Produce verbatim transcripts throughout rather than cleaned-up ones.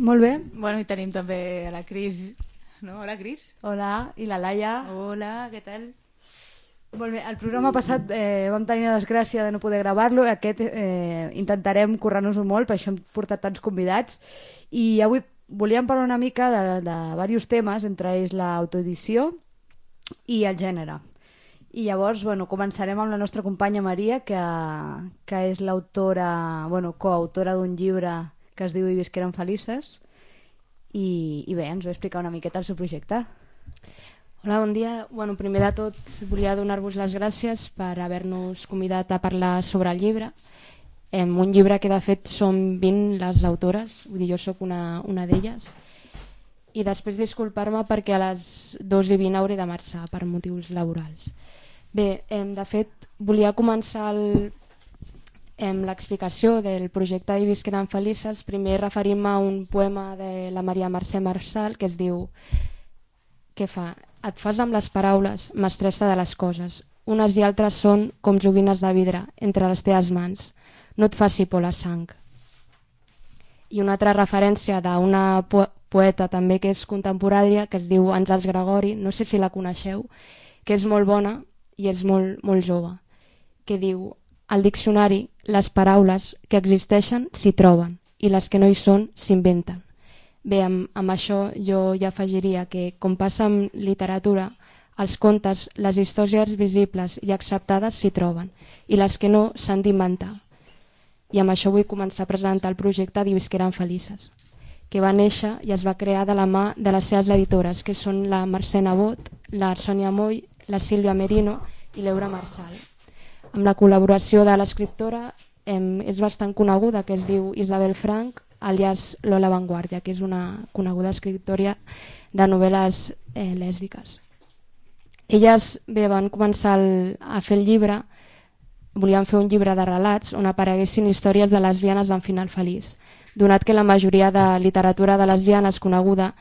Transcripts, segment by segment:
Molt bé. Bueno, i tenim també a la Cris, no? Hola, Cris. Hola, i la Laia. Hola, què tal? Molt bé, el programa passat eh, vam tenir la desgràcia de no poder gravar-lo, aquest eh, intentarem currar-nos-ho molt, per això hem portat tants convidats, i avui volíem parlar una mica de, de diversos temes, entre ells l'autoedició i el gènere. I llavors, bueno, començarem amb la nostra companya Maria, que, que és l'autora, bueno, coautora d'un llibre que es diu I visqueren felices, i, i bé, ens va explicar una miqueta el seu projecte. Hola, bon dia. Bueno, primer de tot volia donar-vos les gràcies per haver-nos convidat a parlar sobre el llibre. Eh, un llibre que de fet som vint les autores, vull dir, jo sóc una, una d'elles. I després disculpar-me perquè a les dos i vint hauré de marxar per motius laborals. Bé, eh, de fet volia començar el, eh, l'explicació del projecte I visqueren felices primer referint-me a un poema de la Maria Mercè Marçal que es diu: què fa? Et fas amb les paraules, mestressa de les coses. Unes i altres són com joguines de vidre entre les teves mans. No et faci por la sang. I una altra referència d'una po poeta també que és contemporània, que es diu Àngels Gregori, no sé si la coneixeu, que és molt bona i és molt, molt jove, que diu: al diccionari les paraules que existeixen s'hi troben i les que no hi són s'inventen. Bé, amb, amb això jo ja afegiria que, com passa amb literatura, els contes, les històries visibles i acceptades s'hi troben i les que no s'han d'inventar. I amb això vull començar a presentar el projecte d'I visqueren felices, que va néixer i es va crear de la mà de les seves editores, que són la Mercè Nebot, la Sònia Moll, la Sílvia Merino i l'Eura Marçal. Amb la col·laboració de l'escriptora eh, és bastant coneguda, que es diu Isabel Frank, alias Lola Vanguardia, que és una coneguda escriptora de novel·les eh, lèsbiques. Elles bé, van començar el, a fer el llibre, volien fer un llibre de relats on apareguessin històries de lesbianes amb final feliç, donat que la majoria de literatura de lesbianes coneguda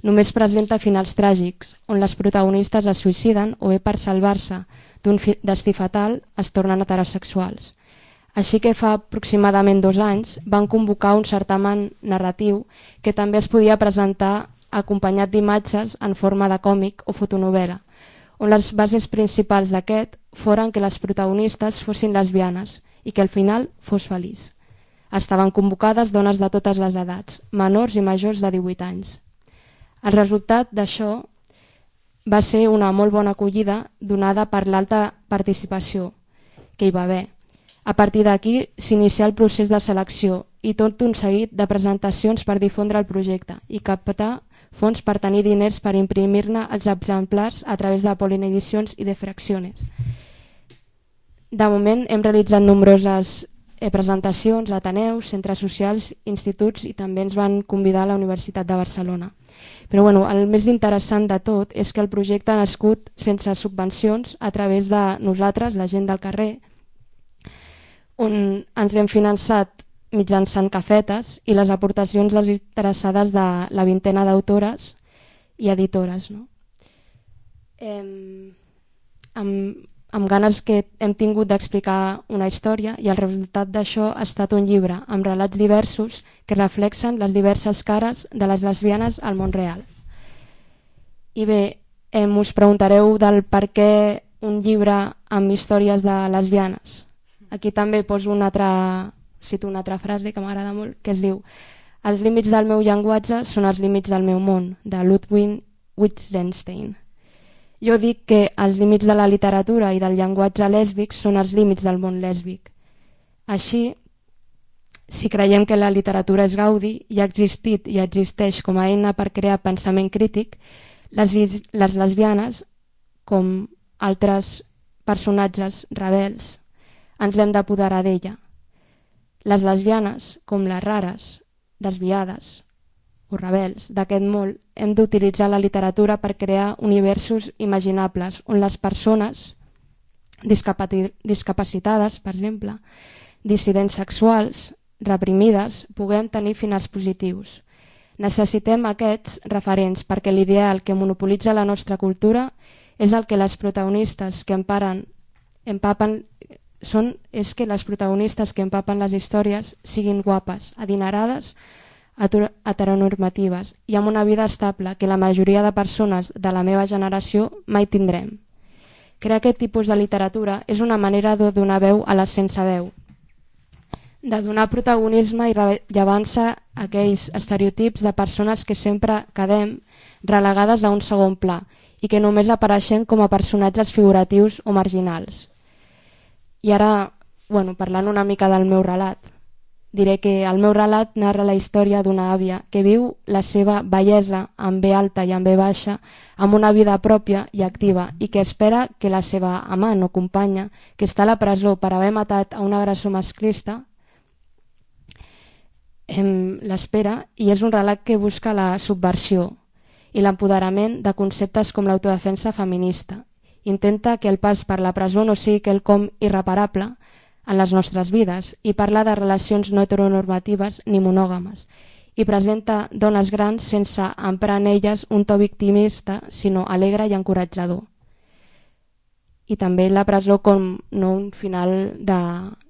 només presenta finals tràgics, on les protagonistes es suïciden o bé per salvar-se d'un destí fatal es tornen heterosexuals. Així que fa aproximadament dos anys van convocar un certamen narratiu que també es podia presentar acompanyat d'imatges en forma de còmic o fotonovel·la, on les bases principals d'aquest foren que les protagonistes fossin lesbianes i que al final fos feliç. Estaven convocades dones de totes les edats, menors i majors de divuit anys. El resultat d'això va ser una molt bona acollida donada per l'alta participació que hi va haver. A partir d'aquí s'inicià el procés de selecció i tot un seguit de presentacions per difondre el projecte i captar fons per tenir diners per imprimir-ne els exemplars a través de Pollen Edicions i de Fracciones. De moment hem realitzat nombroses eh, presentacions a ateneus, centres socials, instituts i també ens van convidar a la Universitat de Barcelona. Però bueno, el més interessant de tot és que el projecte ha nascut sense subvencions a través de nosaltres, la gent del carrer, on ens hem finançat mitjançant cafetes i les aportacions desinteressades de la vintena d'autores i editores. No? Eh, amb, amb ganes que hem tingut d'explicar una història i el resultat d'això ha estat un llibre amb relats diversos que reflexen les diverses cares de les lesbianes al món real. I bé, eh, us preguntareu del per què un llibre amb històries de lesbianes. Aquí també poso una altra, cito una altra frase que m'agrada molt, que es diu: els límits del meu llenguatge són els límits del meu món, de Ludwig Wittgenstein. Jo dic que els límits de la literatura i del llenguatge lèsbic són els límits del món lèsbic. Així, si creiem que la literatura és gaudi i ha existit i existeix com a eina per crear pensament crític, les, les lesbianes, com altres personatges rebels, ens hem d'apoderar d'ella. Les lesbianes, com les rares, desviades o rebels d'aquest món, hem d'utilitzar la literatura per crear universos imaginables on les persones discapacitades, per exemple, dissidents sexuals, reprimides, puguem tenir finals positius. Necessitem aquests referents perquè l'ideal que monopolitza la nostra cultura és el que les protagonistes que emparen, empapen són, és que les protagonistes que empapen les històries siguin guapes, adinerades, heteronormatives i amb una vida estable que la majoria de persones de la meva generació mai tindrem. Crear aquest tipus de literatura és una manera de donar veu a les sense veu, de donar protagonisme i rellevància a aquells estereotips de persones que sempre quedem relegades a un segon pla i que només apareixen com a personatges figuratius o marginals. I ara, bueno, parlant una mica del meu relat, diré que el meu relat narra la història d'una àvia que viu la seva bellesa amb B alta i amb B baixa amb una vida pròpia i activa i que espera que la seva amant o companya, que està a la presó per haver matat a un agressor masclista, l'espera, i és un relat que busca la subversió i l'empoderament de conceptes com l'autodefensa feminista. Intenta que el pas per la presó no sigui quelcom irreparable en les nostres vides i parla de relacions no heteronormatives ni monògames i presenta dones grans sense emprar en elles un to victimista, sinó alegre i encoratjador. I també la presó com no un final de,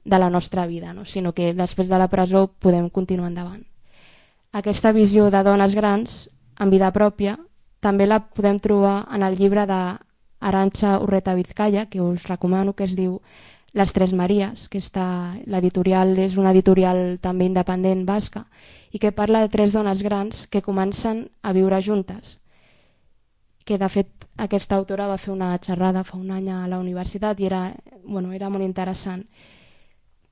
de la nostra vida, no? Sinó que després de la presó podem continuar endavant. Aquesta visió de dones grans en vida pròpia també la podem trobar en el llibre d'Arantxa Urreta Vizcaya, que us recomano, que es diu Les Tres Maries, que està, l'editorial és una editorial també independent basca i que parla de tres dones grans que comencen a viure juntes, que de fet aquesta autora va fer una xerrada fa un any a la universitat i era, bueno, era molt interessant.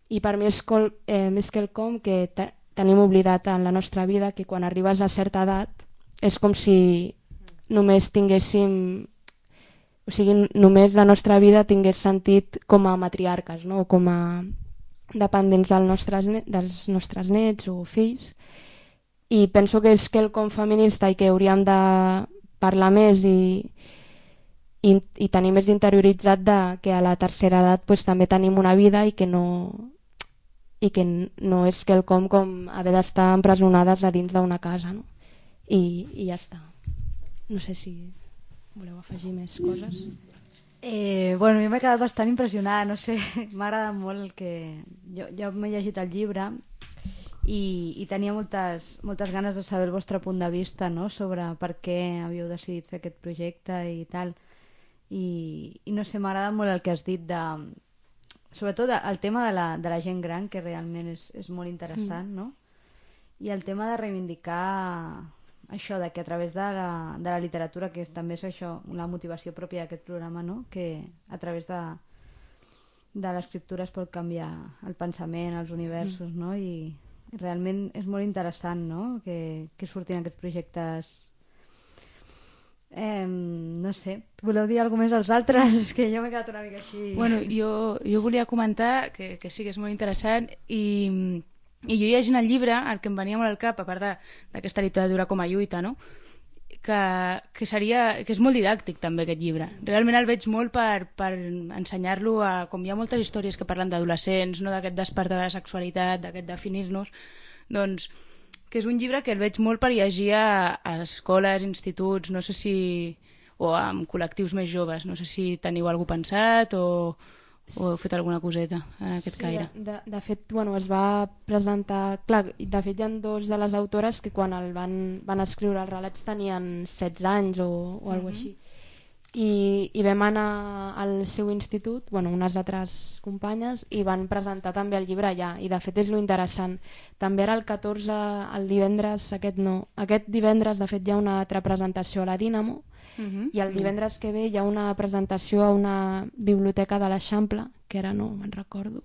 I per mi és, col, eh, més quelcom que te, tenim oblidat en la nostra vida, que quan arribes a certa edat és com si només tinguéssim, o sigui, només la nostra vida tingués sentit com a matriarques, no? O com a dependents del nostres, dels nostres nets o fills. I penso que és quelcom feminista i que hauríem de parlar més i, i, i tenir més interioritzat de que a la tercera edat pues, també tenim una vida i que no, i que no és quelcom com haver d'estar empresonades a dins d'una casa, no? I, i ja està. No sé si voleu afegir més coses. Eh, bueno, a mi m'he quedat bastant impressionada, no sé, m'ha agradat molt el que... Jo, jo m'he llegit el llibre i, i tenia moltes, moltes ganes de saber el vostre punt de vista, no?, sobre per què havíeu decidit fer aquest projecte i tal. I, i no sé, m'agrada molt el que has dit de... Sobretot el tema de la, de la gent gran, que realment és, és molt interessant, no? I el tema de reivindicar això, de que a través de la, de la literatura, que també és això, la motivació pròpia d'aquest programa, no?, que a través de, de l'escriptura es pot canviar el pensament, els universos, no? I, i realment és molt interessant, no?, que, que surtin aquests projectes. Eh, no sé, voleu dir alguna més als altres? És que jo m'he quedat una mica així... Bueno, jo, jo volia comentar que, que sí que és molt interessant i... I jo llegint el llibre, el que em venia molt al cap, a part d'aquesta literatura com a lluita, no? que, que, seria, que és molt didàctic també aquest llibre. Realment el veig molt per, per ensenyar-lo a... Com hi ha moltes històries que parlen d'adolescents, no, d'aquest despertar de la sexualitat, d'aquest definir-nos, doncs que és un llibre que el veig molt per llegir a, a escoles, instituts, no sé si... o amb col·lectius més joves. No sé si teniu alguna cosa pensat o... o heu fet alguna coseta en aquest sí, caire? De, de fet, bueno, es va presentar... Clar, de fet hi ha dos de les autores que quan el van, van escriure els relats tenien setze anys o, o alguna cosa així. I, I vam anar al seu institut, bueno, unes altres companyes, i van presentar també el llibre allà. I de fet és lo interessant. També era el catorze, el divendres, aquest no. Aquest divendres, de fet, hi ha una altra presentació a la Dínamo. Uh-huh. I el divendres que ve hi ha una presentació a una biblioteca de l'Eixample, que ara no me'n recordo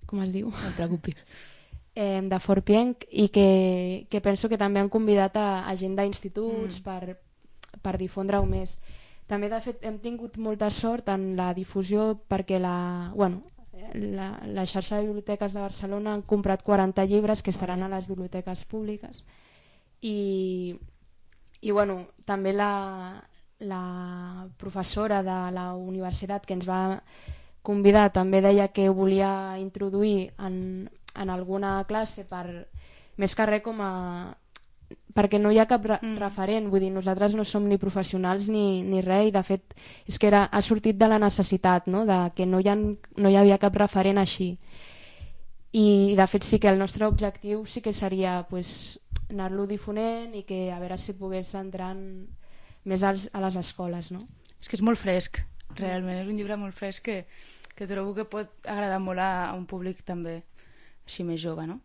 com es diu, no et preocupis, eh, de Forpienc, i que, que penso que també han convidat a, a gent d'instituts mm. per, per difondre-ho més. També, de fet, hem tingut molta sort en la difusió perquè la, bueno, la, la xarxa de biblioteques de Barcelona han comprat quaranta llibres que estaran a les biblioteques públiques i I bueno, també la, la professora de la universitat que ens va convidar també deia que volia introduir en, en alguna classe per, més que res com a... perquè no hi ha cap re mm. referent, vull dir, nosaltres no som ni professionals ni, ni res, i de fet és que era, ha sortit de la necessitat, no?, de que no hi, ha, no hi havia cap referent així. I de fet sí que el nostre objectiu sí que seria pues, anar-lo difonent i que a veure si pogués entrar més als, a les escoles, no? És que és molt fresc, realment, és un llibre molt fresc que, que trobo que pot agradar molt a, a un públic també així més jove, no?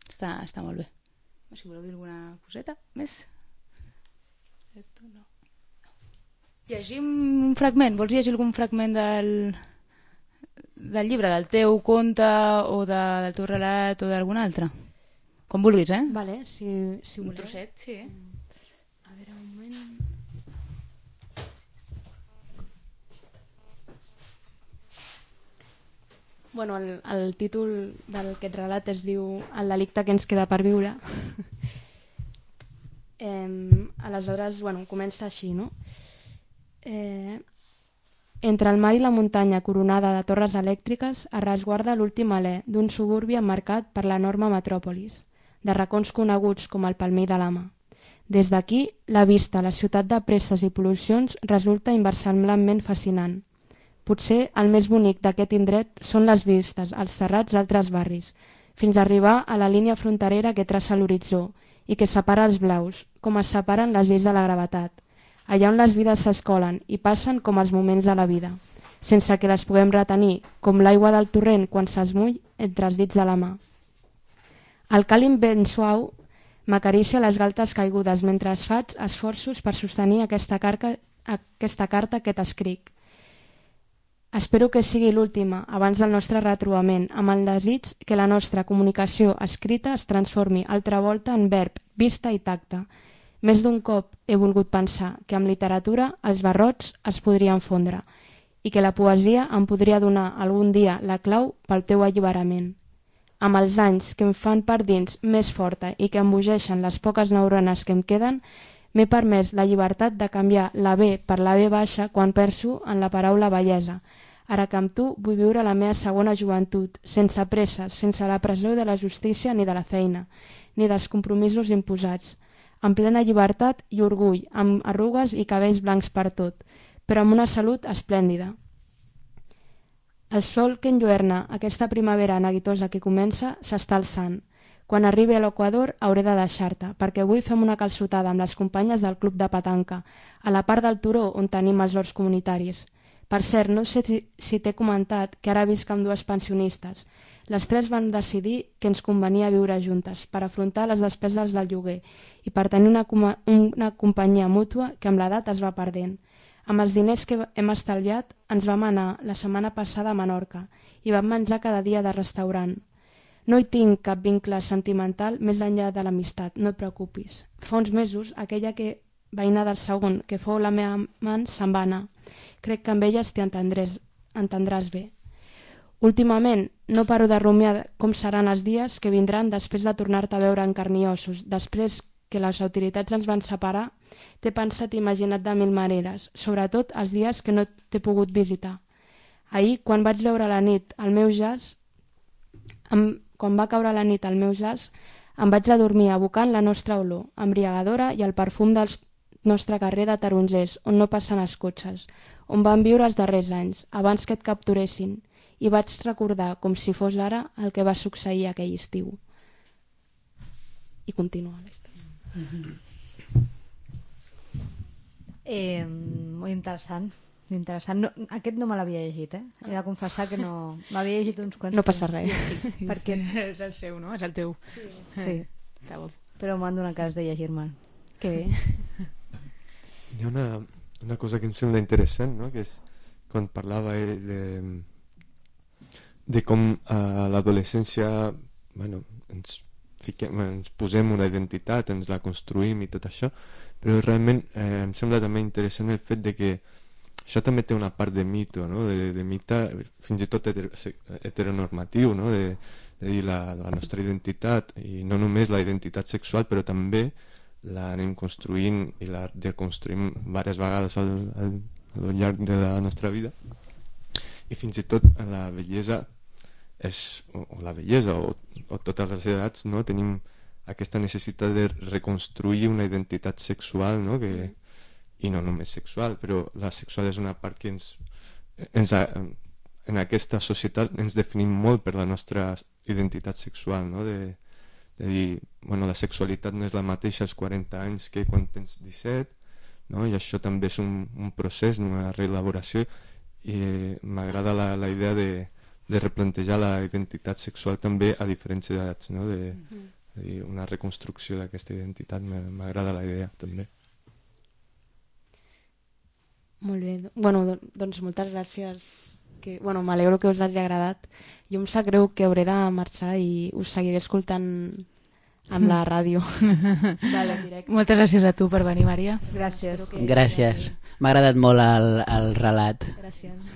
Està, està molt bé. Si voleu dir alguna coseta més? No. Llegim un fragment, vols llegir algun fragment del, del llibre, del teu conte o de, del teu relat o d'algun altre? Com vulguis, eh? Vale, si, si un voleu. trosset, sí. A veure, un moment... Bueno, el, el títol d'aquest relat es diu El delicte que ens queda per viure. eh, aleshores, bueno, comença així, no? Eh, entre el mar i la muntanya coronada de torres elèctriques es resguarda l'últim alè d'un suburbi emmarcat per l'enorme metròpolis, de racons coneguts com el Palmell de l'Ama. Des d'aquí, la vista a la ciutat de presses i pol·lucions resulta inversemblant fascinant. Potser el més bonic d'aquest indret són les vistes als serrats d'altres barris, fins a arribar a la línia fronterera que traça l'horitzó i que separa els blaus, com es separen les lleis de la gravetat, allà on les vides s'escolen i passen com els moments de la vida, sense que les puguem retenir, com l'aigua del torrent quan s'esmull entre els dits de la mà. El càlim ben suau m'acaricia les galtes caigudes mentre es faig esforços per sostenir aquesta, carca, aquesta carta que t'escric. Espero que sigui l'última abans del nostre retrobament, amb el desig que la nostra comunicació escrita es transformi altra volta en verb, vista i tacte. Més d'un cop he volgut pensar que amb literatura els barrots es podrien fondre i que la poesia em podria donar algun dia la clau pel teu alliberament. Amb els anys que em fan per dins més forta i que embogeixen les poques neurones que em queden, m'he permès la llibertat de canviar la B per la B baixa quan penso en la paraula bellesa. Ara que amb tu vull viure la meva segona joventut, sense presses, sense la pressió de la justícia ni de la feina, ni dels compromisos imposats, amb plena llibertat i orgull, amb arrugues i cabells blancs per tot, però amb una salut esplèndida. El sol que enlluerna aquesta primavera neguitosa que comença s'està alçant. Quan arribi a l'Equador hauré de deixar-te, perquè avui fem una calçotada amb les companyes del club de petanca, a la part del turó on tenim els horts comunitaris. Per cert, no sé si, si t'he comentat que ara visc amb dues pensionistes. Les tres van decidir que ens convenia viure juntes per afrontar les despeses del lloguer i per tenir una, una companyia mútua que amb l'edat es va perdent. Amb els diners que hem estalviat ens vam anar la setmana passada a Menorca i vam menjar cada dia de restaurant. No hi tinc cap vincle sentimental més enllà de l'amistat, no et preocupis. Fa uns mesos, aquella que veïna del segon, que fou la meva amant, se'n va anar. Crec que amb elles t'hi entendràs, entendràs bé. Últimament, no paro de rumiar com seran els dies que vindran després de tornar-te a veure en carn i ossos. Després que les autoritats ens van separar, t'he pensat i imaginat de mil maneres, sobretot els dies que no t'he pogut visitar. Ahir, quan vaig veure la nit al meu jazz, em, quan va caure la nit al meu jazz, em vaig adormir abocant la nostra olor, embriagadora i el perfum del nostre carrer de tarongers, on no passen els cotxes, on van viure els darrers anys, abans que et capturessin, i vaig recordar, com si fos ara, el que va succeir aquell estiu. I continua la història. Eh, molt interessant. Interessant. No, aquest no me l'havia llegit, eh? He de confessar que no... M'havia llegit uns quants. No passa res. Sí, perquè... És el seu, no? És el teu. Sí, sí. Però m'han donat ganes de llegir-me'l. Que bé. Hi ha una, una cosa que em sembla interessant, no? Que és quan parlava de, de com a l'adolescència, bueno, ens, fiquem, ens posem una identitat, ens la construïm i tot això, però realment eh, em sembla també interessant el fet de que això també té una part de mito, no? de, de mite fins i tot heter heteronormatiu, no? de, de dir la, la nostra identitat, i no només la identitat sexual, però també l'anem construint i la deconstruïm diverses vegades al, al, al llarg de la nostra vida, i fins i tot la bellesa és, o, o la bellesa o, o totes les edats, no? Tenim aquesta necessitat de reconstruir una identitat sexual, no? Que, i no només sexual, però la sexual és una part que ens, ens ha, en aquesta societat ens definim molt per la nostra identitat sexual, no? De, de dir, bueno, la sexualitat no és la mateixa als quaranta anys que quan tens disset, no? I això també és un, un procés, una reelaboració, i m'agrada la, la idea de, de replantejar la identitat sexual també a diferents edats, no? De, de dir, una reconstrucció d'aquesta identitat, m'agrada la idea també. Molt bé, bueno, doncs moltes gràcies. Que, bueno, m'alegro que us hagi agradat. Jo em sap greu que hauré de marxar i us seguiré escoltant amb la ràdio. Vale. Moltes gràcies a tu per venir, Maria. Gràcies. Que... Gràcies. M'ha agradat molt el, el relat. Gràcies.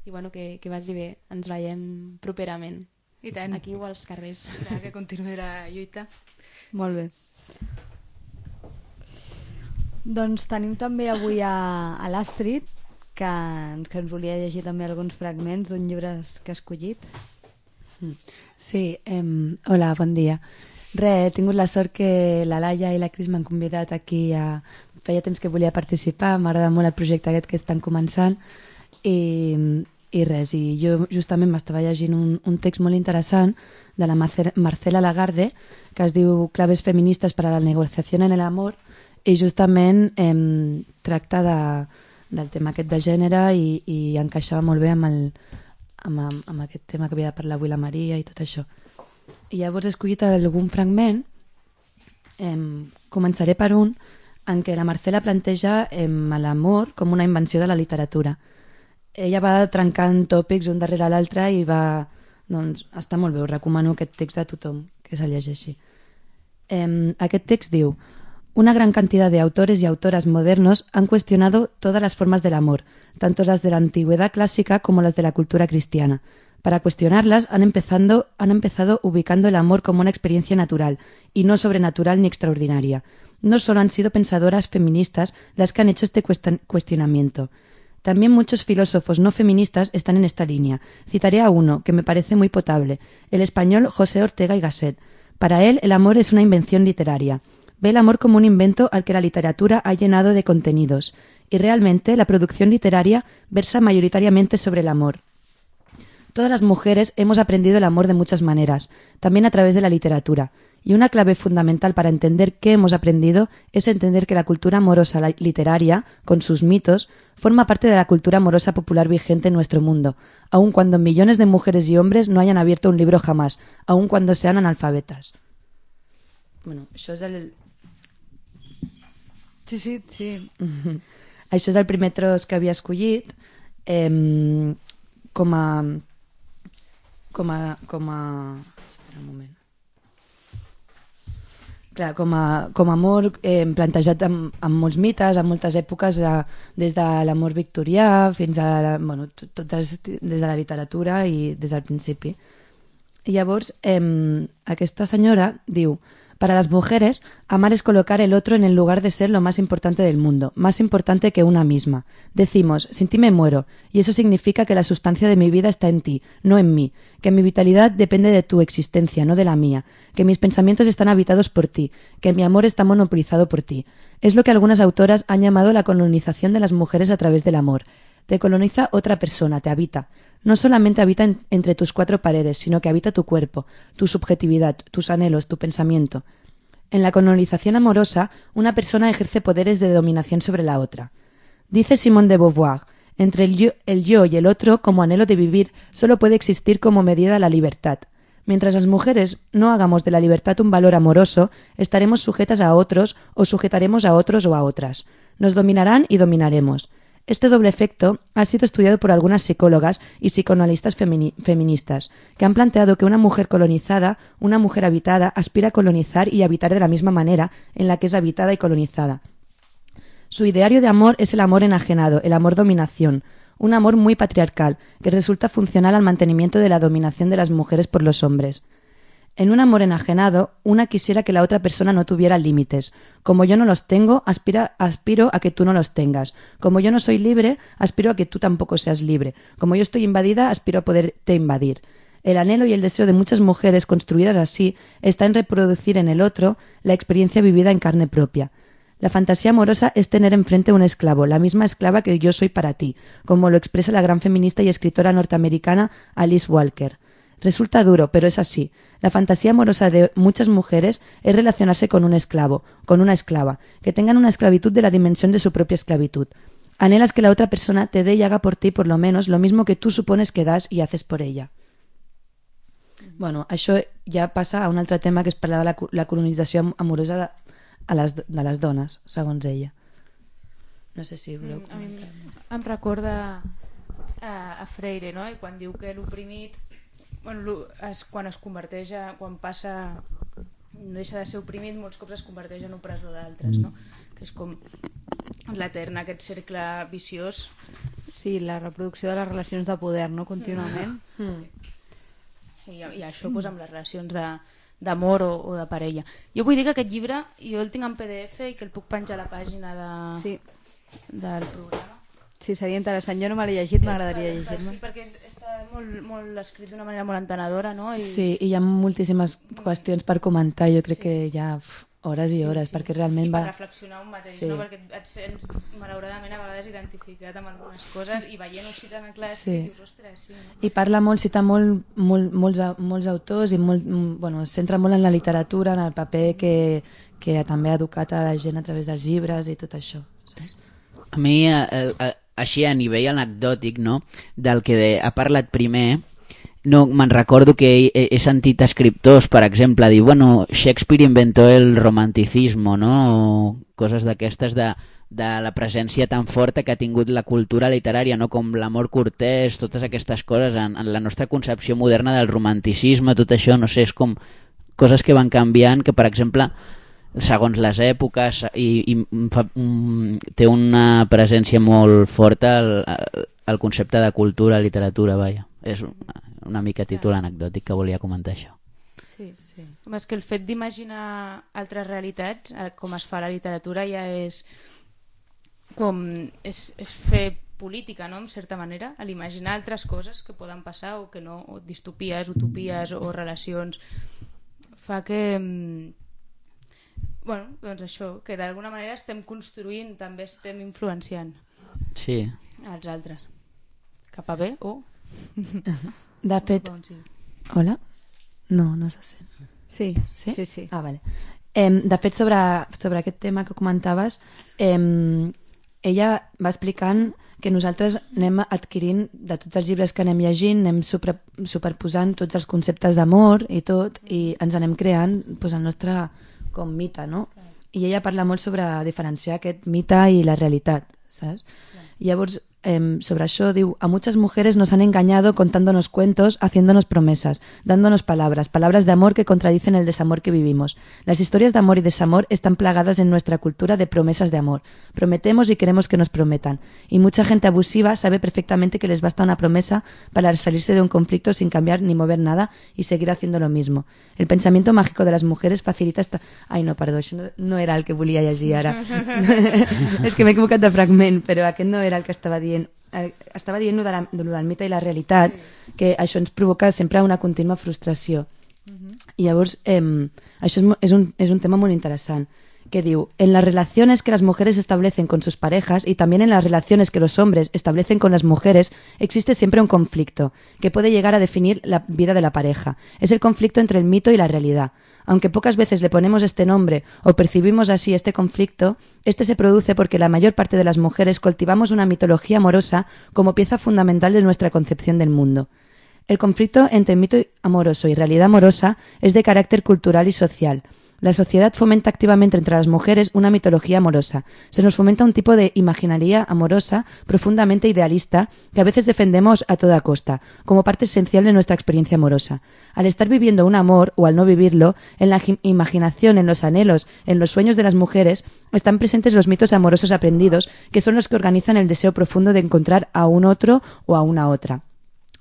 I bueno, que, que vagi bé. Ens veiem properament. I tant. Aquí o als carrers. Ja, que continuï la lluita. Molt bé. Doncs tenim també avui a, a l'Astrid, que ens, que ens volia llegir també alguns fragments d'un llibre que ha escollit. Sí, eh, hola, bon dia. Re, he tingut la sort que la Laia i la Cris m'han convidat aquí a... Feia temps que volia participar, m'agrada molt el projecte aquest que estan començant i, i res, i jo justament m'estava llegint un, un text molt interessant de la Marcela Lagarde que es diu Claves feministes per a la negociació en el amor i justament eh, tracta de, del tema aquest de gènere i, i encaixava molt bé amb, el, amb, amb aquest tema que havia de parlar avui la Maria i tot això. I llavors he escollit algun fragment, eh, començaré per un en què la Marcela planteja eh, l'amor com una invenció de la literatura. Ella va trencant tòpics un darrere l'altre i va... Doncs està molt bé, us recomano aquest text a tothom que se'l llegeixi. Eh, aquest text diu: una gran cantidad de autores y autoras modernos han cuestionado todas las formas del amor, tanto las de la antigüedad clásica como las de la cultura cristiana. Para cuestionarlas han empezado, han empezado ubicando el amor como una experiencia natural, y no sobrenatural ni extraordinaria. No solo han sido pensadoras feministas las que han hecho este cuestionamiento. También muchos filósofos no feministas están en esta línea. Citaré a uno, que me parece muy potable, el español José Ortega y Gasset. Para él, el amor es una invención literaria. Ve el amor como un invento al que la literatura ha llenado de contenidos, y realmente la producción literaria versa mayoritariamente sobre el amor. Todas las mujeres hemos aprendido el amor de muchas maneras, también a través de la literatura, y una clave fundamental para entender qué hemos aprendido es entender que la cultura amorosa literaria, con sus mitos, forma parte de la cultura amorosa popular vigente en nuestro mundo, aun cuando millones de mujeres y hombres no hayan abierto un libro jamás, aun cuando sean analfabetas. Bueno, això és el... Sí, sí, sí. Mm-hmm. Això és el primer tros que havia escollit eh, com a com a com a espera un moment clar, com a, com a amor eh, plantejat amb, amb molts mites, en moltes èpoques, eh, des de l'amor victorià fins a la, bueno, tot, des, des de la literatura i des del principi. I llavors eh, aquesta senyora diu: para las mujeres, amar es colocar el otro en el lugar de ser lo más importante del mundo, más importante que una misma. Decimos, sin ti me muero, y eso significa que la sustancia de mi vida está en ti, no en mí, que mi vitalidad depende de tu existencia, no de la mía, que mis pensamientos están habitados por ti, que mi amor está monopolizado por ti. Es lo que algunas autoras han llamado la colonización de las mujeres a través del amor. Te coloniza otra persona, te habita. No solamente habita en, entre tus cuatro paredes, sino que habita tu cuerpo, tu subjetividad, tus anhelos, tu pensamiento. En la colonización amorosa, una persona ejerce poderes de dominación sobre la otra. Dice Simone de Beauvoir, entre el yo, el yo y el otro, como anhelo de vivir, solo puede existir como medida la libertad. Mientras las mujeres no hagamos de la libertad un valor amoroso, estaremos sujetas a otros o sujetaremos a otros o a otras. Nos dominarán y dominaremos. Este doble efecto ha sido estudiado por algunas psicólogas y psicoanalistas femini- feministas, que han planteado que una mujer colonizada, una mujer habitada, aspira a colonizar y habitar de la misma manera en la que es habitada y colonizada. Su ideario de amor es el amor enajenado, el amor dominación, un amor muy patriarcal, que resulta funcional al mantenimiento de la dominación de las mujeres por los hombres. En un amor enajenado, una quisiera que la otra persona no tuviera límites. Como yo no los tengo, aspira, aspiro a que tú no los tengas. Como yo no soy libre, aspiro a que tú tampoco seas libre. Como yo estoy invadida, aspiro a poderte invadir. El anhelo y el deseo de muchas mujeres construidas así está en reproducir en el otro la experiencia vivida en carne propia. La fantasía amorosa es tener enfrente un esclavo, la misma esclava que yo soy para ti, como lo expresa la gran feminista y escritora norteamericana Alice Walker. Resulta duro, pero es así. La fantasía amorosa de muchas mujeres es relacionarse con un esclavo, con una esclava, que tengan una esclavitud de la dimensión de su propia esclavitud. Anhelas que la otra persona te dé y haga por ti, por lo menos, lo mismo que tú supones que das y haces por ella. Bueno, això ja passa a un altre tema, que és parlar de la, la colonització amorosa de, a les, de les dones, segons ella. No sé si voleu comentar. A mi em recorda a, a Freire, no? I quan diu que l'oprimit, bueno, es, quan es converteix a, quan passa, no deixa de ser oprimit, molts cops es converteix en opressor d'altres, no? Que és com l'etern, aquest cercle viciós. Sí, la reproducció de les relacions de poder, no? Contínuament. Mm. I, i això pues, amb les relacions d'amor o, o de parella. Jo vull dir que aquest llibre jo el tinc en P D F i que el puc penjar a la pàgina de, sí. del programa. Sí, seria interessant. Jo no me l'he llegit, m'agradaria llegir-me. Sí, perquè és, està molt, molt escrit d'una manera molt entenedora, no? I... Sí, i hi ha moltíssimes qüestions per comentar. Jo crec sí. que hi ha hores i hores, sí, sí. perquè realment I va... per reflexionar un mateix, sí. no? Perquè et sents, malauradament, a vegades identificat amb algunes coses i veient-ho així tan clar sí. dius, ostres, sí. No? I parla molt, cita molt, molt, molts, molts autors i molt, bueno, es centra molt en la literatura, en el paper que, que també ha educat a la gent a través dels llibres i tot això. Saps? A mi, a, a, així a nivell anecdòtic, no? Del que de, ha parlat primer... No, me'n recordo que he, he sentit escriptors, per exemple, dir, bueno, Shakespeare inventó el romanticismo, no? O coses d'aquestes de, de la presència tan forta que ha tingut la cultura literària, no? Com l'amor cortès, totes aquestes coses, en, en la nostra concepció moderna del romanticisme, tot això, no sé, és com coses que van canviant, que, per exemple, segons les èpoques, i, i fa, um, té una presència molt forta el, el concepte de cultura, literatura, vaja. És una, una mica títol anecdòtic que volia comentar això. Sí, sí. Home, és que el fet d'imaginar altres realitats, com es fa a la literatura, ja és com és, és fer política, no?, en certa manera, a l'imaginar altres coses que poden passar o que no, o distopies, utopies o relacions, fa que bueno, doncs això, que d'alguna manera estem construint, també estem influenciant sí. els altres cap a bé o de fet, hola? No, no se sent. Sí, sí, sí. sí. Ah, vale. Eh, de fet, sobre, sobre aquest tema que comentaves, eh, ella va explicant que nosaltres anem adquirint, de tots els llibres que anem llegint, anem super, superposant tots els conceptes d'amor i tot, i ens anem creant pues, el nostre com mite, no? I ella parla molt sobre diferenciar aquest mite i la realitat, saps? I llavors, Eh, sobre això diu, a muchas mujeres nos han engañado contándonos cuentos, haciéndonos promesas, dándonos palabras, palabras de amor que contradicen el desamor que vivimos. Las historias de amor y desamor están plagadas en nuestra cultura de promesas de amor. Prometemos y queremos que nos prometan. Y mucha gente abusiva sabe perfectamente que les basta una promesa para salirse de un conflicto sin cambiar ni mover nada y seguir haciendo lo mismo. El pensamiento mágico de las mujeres facilita esta... Ai, no, perdó, això no, no era el que volia llegir ara. És que m'he equivocat de fragment, però aquest no era el que estava dient. Estava dient de la, de del mite i la realitat, sí. que això ens provoca sempre una contínua frustració. Uh-huh. I llavors, eh, això és, és, un, és un tema molt interessant, que diu, en las relaciones que las mujeres establecen con sus parejas y también en las relaciones que los hombres establecen con las mujeres, existe siempre un conflicto, que puede llegar a definir la vida de la pareja. Es el conflicto entre el mito y la realidad. Aunque pocas veces le ponemos este nombre o percibimos así este conflicto, este se produce porque la mayor parte de las mujeres cultivamos una mitología amorosa como pieza fundamental de nuestra concepción del mundo. El conflicto entre mito amoroso y realidad amorosa es de carácter cultural y social. La sociedad fomenta activamente entre las mujeres una mitología amorosa. Se nos fomenta un tipo de imaginaría amorosa profundamente idealista que a veces defendemos a toda costa, como parte esencial de nuestra experiencia amorosa. Al estar viviendo un amor o al no vivirlo, en la imaginación, en los anhelos, en los sueños de las mujeres, están presentes los mitos amorosos aprendidos, que son los que organizan el deseo profundo de encontrar a un otro o a una otra.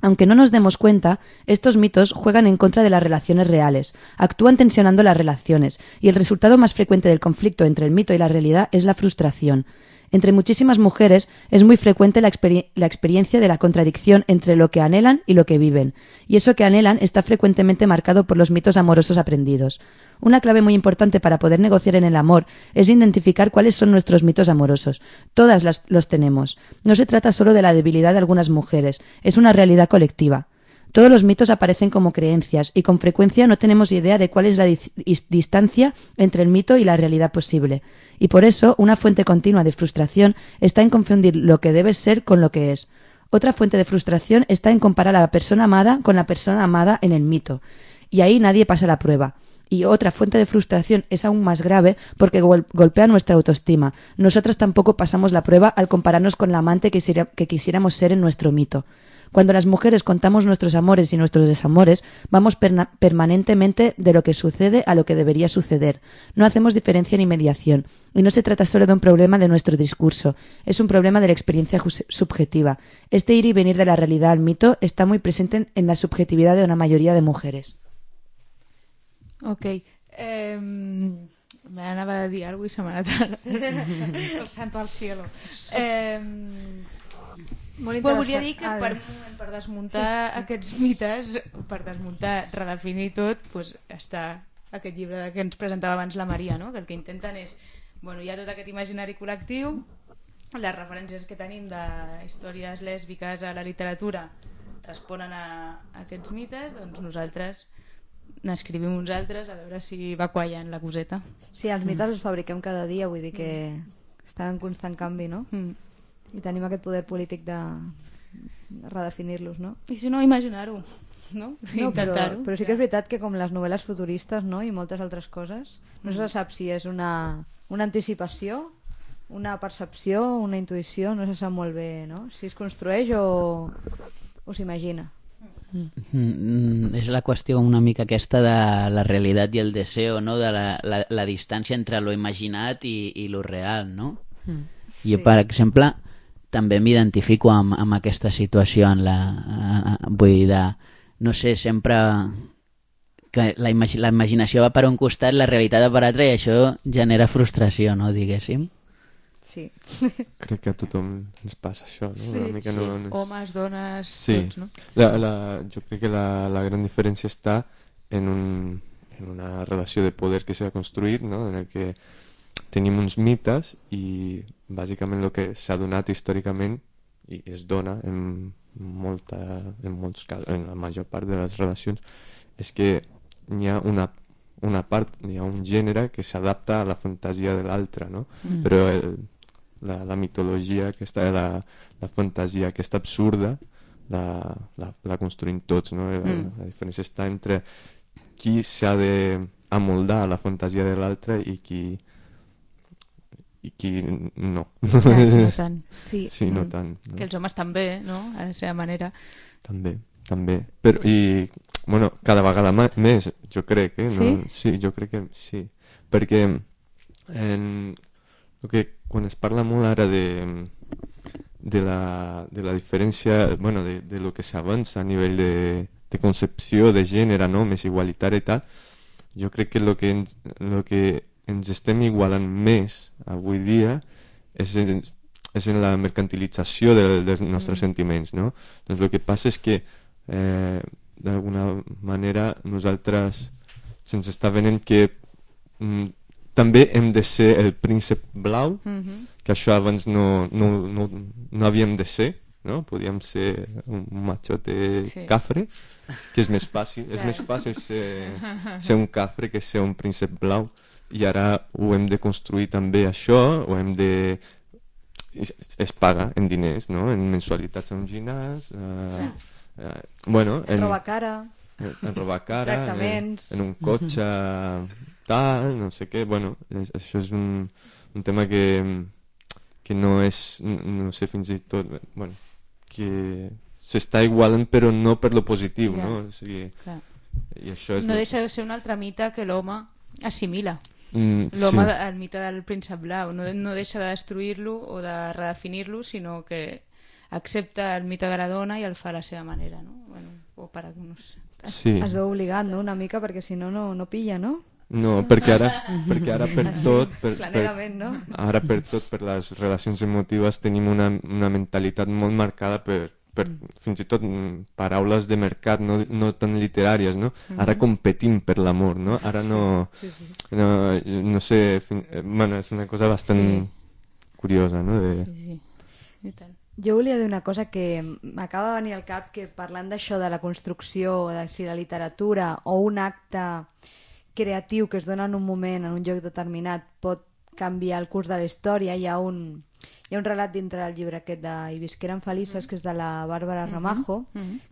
Aunque no nos demos cuenta, estos mitos juegan en contra de las relaciones reales, actúan tensionando las relaciones, y el resultado más frecuente del conflicto entre el mito y la realidad es la frustración. Entre muchísimas mujeres es muy frecuente la, exper- la experiencia de la contradicción entre lo que anhelan y lo que viven, y eso que anhelan está frecuentemente marcado por los mitos amorosos aprendidos. Una clave muy importante para poder negociar en el amor es identificar cuáles son nuestros mitos amorosos. Todas las, los tenemos. No se trata solo de la debilidad de algunas mujeres, es una realidad colectiva. Todos los mitos aparecen como creencias y con frecuencia no tenemos idea de cuál es la dis- distancia entre el mito y la realidad posible. Y por eso una fuente continua de frustración está en confundir lo que debe ser con lo que es. Otra fuente de frustración está en comparar a la persona amada con la persona amada en el mito. Y ahí nadie pasa la prueba. Y otra fuente de frustración es aún más grave porque gol- golpea nuestra autoestima. Nosotras tampoco pasamos la prueba al compararnos con la amante que, quisiera- que quisiéramos ser en nuestro mito. Cuando las mujeres contamos nuestros amores y nuestros desamores, vamos perna- permanentemente de lo que sucede a lo que debería suceder. No hacemos diferencia ni mediación. Y no se trata solo de un problema de nuestro discurso, es un problema de la experiencia jus- subjetiva. Este ir y venir de la realidad al mito está muy presente en, en la subjetividad de una mayoría de mujeres. Ok. Eh, M'anava a dir alguna cosa i se m'ha anat el santo al cielo. Eh, Molt Però interessant. volia dir que Ah, per, per desmuntar aquests mites, per desmuntar, redefinir tot, pues, està aquest llibre que ens presentava abans la Maria, no? Que el que intenten és, bueno, hi ha tot aquest imaginari col·lectiu, les referències que tenim de històries lèsbiques a la literatura responen a, a aquests mites, doncs nosaltres n'escrivim uns altres a veure si va quallant la coseta. Sí, els mites els fabriquem cada dia, vull dir que estan en constant canvi, no? Mm. I tenim aquest poder polític de, de redefinir-los, no? I si no, imaginar-ho, no? No, però, Intentar-ho. però sí que és veritat que com les novel·les futuristes, no? I moltes altres coses, no se sap si és una, una anticipació, una percepció, una intuïció, no se sap molt bé, no? Si es construeix o, o s'imagina. Mm, és la qüestió una mica aquesta de la realitat i el deseo, no? De la, la, la distància entre lo imaginat i, i lo real, no? Mm. Jo, Sí. per exemple, també m'identifico amb, amb aquesta situació en la, eh, vull dir, de, no sé, sempre que la, imagi la imaginació va per un costat, la realitat va per altre i això genera frustració, no, diguéssim. Sí. Crec que a tothom ens passa això, no? Sí, Una mica sí. no, no és... Homes, dones, Sí. tots, no? La, la, jo crec que la, la gran diferència està en, un, en una relació de poder que s'ha construït, no? En el que tenim uns mites i bàsicament el que s'ha donat històricament i es dona en, molta, en molts casos, en la major part de les relacions, és que n'hi ha una, una part, n'hi ha un gènere que s'adapta a la fantasia de l'altre, no? Mm. Però el, la, la mitologia aquesta, la, la fantasia aquesta absurda la, la, la construïm tots, no? La, Mm. la diferència està entre qui s'ha d'amoldar a la fantasia de l'altre i qui i qui no. Ja, no tant. Sí. Sí, no Mm. tant. No? Que els homes també, no? A la seva manera. També, també. Però, i, bueno, cada vegada ma- més, jo crec, eh? No? Sí? Sí, jo crec que sí. Perquè en, el que, quan es parla molt ara de, de, la, de la diferència, bueno, de, de lo que s'avança a nivell de, de concepció de gènere, no? Més igualitari i tal, jo crec que el que, ens, lo que ens estem igualant més avui dia és en, és en la mercantilització de, dels nostres mm. sentiments, no? Doncs el que passa és que eh, d'alguna manera nosaltres se'ns està venent que mm, també hem de ser el príncep blau, Mhm. que això abans no, no, no, no havíem de ser, no? Podíem ser un machote Sí. cafre, que és més fàcil, és Clar. més fàcil ser, ser un cafre que ser un príncep blau, i ara ho hem de construir també això, ho hem de... es, es paga en diners, no? En mensualitats a un gimnàs, eh, eh, bueno, En en, roba cara, en, en robar cara, en, Tractaments. en un cotxe tal, no sé què, bueno, és, això és un, un tema que, que no és, no sé, fins i tot, bueno, que s'està igualant però no per lo positiu, Ja. no? O sigui, Clar. i això és... No deixa de ser un altre mite que l'home assimila. Mm, L'home, sí. el mite del príncep blau, no, no deixa de destruir-lo o de redefinir-lo, sinó que accepta el mite de la dona i el fa a la seva manera, no? Bueno, o per no sé. Sí. es veu obligat, no? Una mica, perquè si no, no, no pilla, no? No, perquè ara, perquè ara per tot... Per, per, Planerament, no? ara per tot, per les relacions emotives tenim una, una mentalitat molt marcada per, per fins i tot mm, paraules de mercat, no, no tan literàries, no? Ara competim per l'amor, no? Ara no... Sí, sí. No, no sé... Fin, eh, bueno, és una cosa bastant Sí. curiosa, no? De, Sí, sí. I tant. Jo volia dir una cosa que m'acaba de venir al cap, que parlant d'això de la construcció, de si la literatura o un acte creatiu que es dona en un moment, en un lloc determinat, pot canviar el curs de la història. Hi ha un, hi ha un relat dintre del llibre aquest de I visqueren felices, que és de la Bàrbara Ramajo,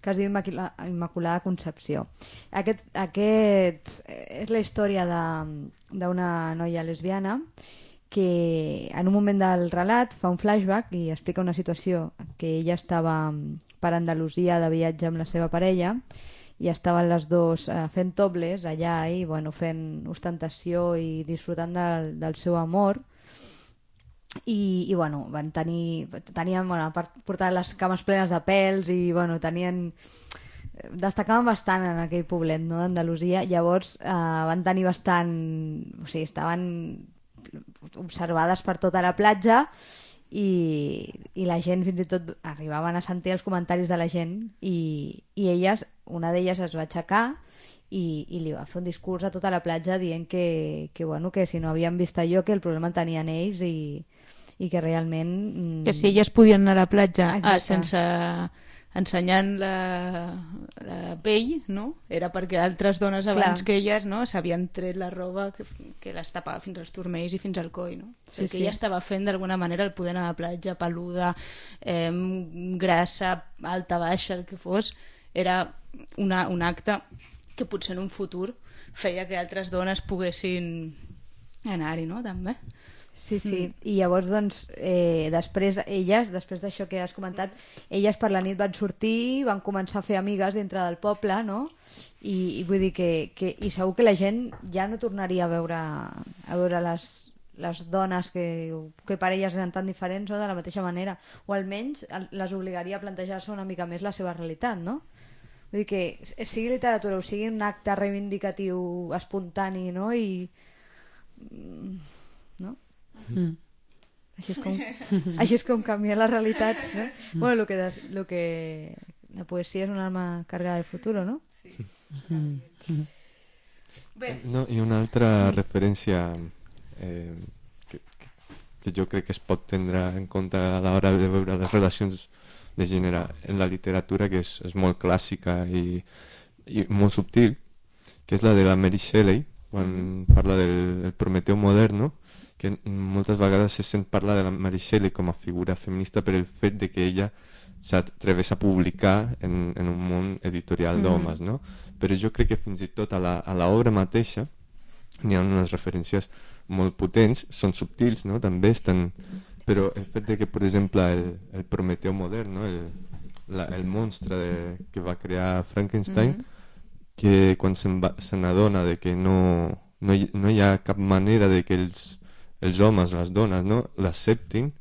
que es diu Immacula- Immaculada Concepció. Aquest, aquest és la història de- d'una noia lesbiana que en un moment del relat fa un flashback i explica una situació que ella estava per Andalusia de viatge amb la seva parella i estaven les dues eh, fent topless allà i bueno, fent ostentació i disfrutant del, del seu amor i, i bueno, van tenir tenien, bueno, a part, portaven les cames plenes de pèls i bueno, tenien destacaven bastant en aquell poblet, no, d'Andalusia. Llavors eh, van tenir bastant, o sigui, estaven observades per tota la platja i, i la gent fins i tot arribaven a sentir els comentaris de la gent i, i elles, una d'elles es va aixecar i, i li va fer un discurs a tota la platja dient que, que, bueno, que si no havien vist allò que el problema el tenien ells i, i que realment... Mm... Que si elles podien anar a la platja ah, Exacte. sense ensenyant la, la pell, no? Era perquè altres dones abans Clar. que elles, no, s'havien tret la roba que, que les tapava fins als turmells i fins al coll, no? Sí, El que sí. ella estava fent d'alguna manera el poder anar a la platja, peluda, eh, grassa, alta, baixa, el que fos, era una, un acte que potser en un futur feia que altres dones poguessin anar-hi, no? També. Sí, sí. Mm. I llavors, doncs, eh, després, elles, després d'això que has comentat, elles per la nit van sortir, van començar a fer amigues dintre del poble, no? I, i vull dir que, que... I segur que la gent ja no tornaria a veure, a veure les, les dones que, que per elles eren tan diferents, no? De la mateixa manera. O almenys les obligaria a plantejar-se una mica més la seva realitat, no? Vull dir que sigui literatura o sigui un acte reivindicatiu espontani, no? I... no? Mm. Així és com, així és com canvien les realitats, no? Bueno, lo que, de- lo que la poesia és una arma cargada de futuro, no? Mm. No, i una altra referència eh, que, que jo crec que es pot tindre en compte a l'hora de veure les relacions de gènere en la literatura, que és, és molt clàssica i, i molt subtil, que és la de la Mary Shelley, quan parla del, del Prometeu modern, no? Que moltes vegades se sent parlar de la Mary Shelley com a figura feminista per el fet de que ella s'atreveix a publicar en, en un món editorial d'homes, no? Però jo crec que fins i tot a la, a l'obra mateixa n'hi ha unes referències molt potents, són subtils, no? També estan... Però el fet de que, per exemple, el, el Prometeu modern, no? el, la, el monstre de, que va crear Frankenstein, que quan se'n va- se n'adona de que no, no, hi, no hi ha cap manera de que els, els homes, les dones, no, l'acceptin,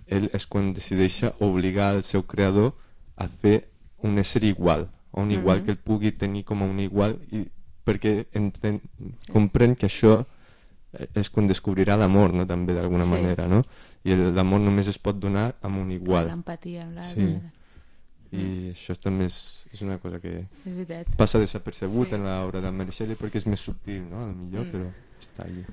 ell és quan decideix obligar el seu creador a fer un ésser igual, a un igual que el pugui tenir com a un igual, i perquè entén, comprèn que això és quan descobrirà l'amor, no? També d'alguna Sí. manera, no? I el- l'amor només es pot donar amb un igual. L'empatia amb Sí. l'altre. I això també és, és una cosa que És veritat. passa desapercebut en l'obra de Mary Shelley perquè és més subtil, no? A lo millor, però està allí.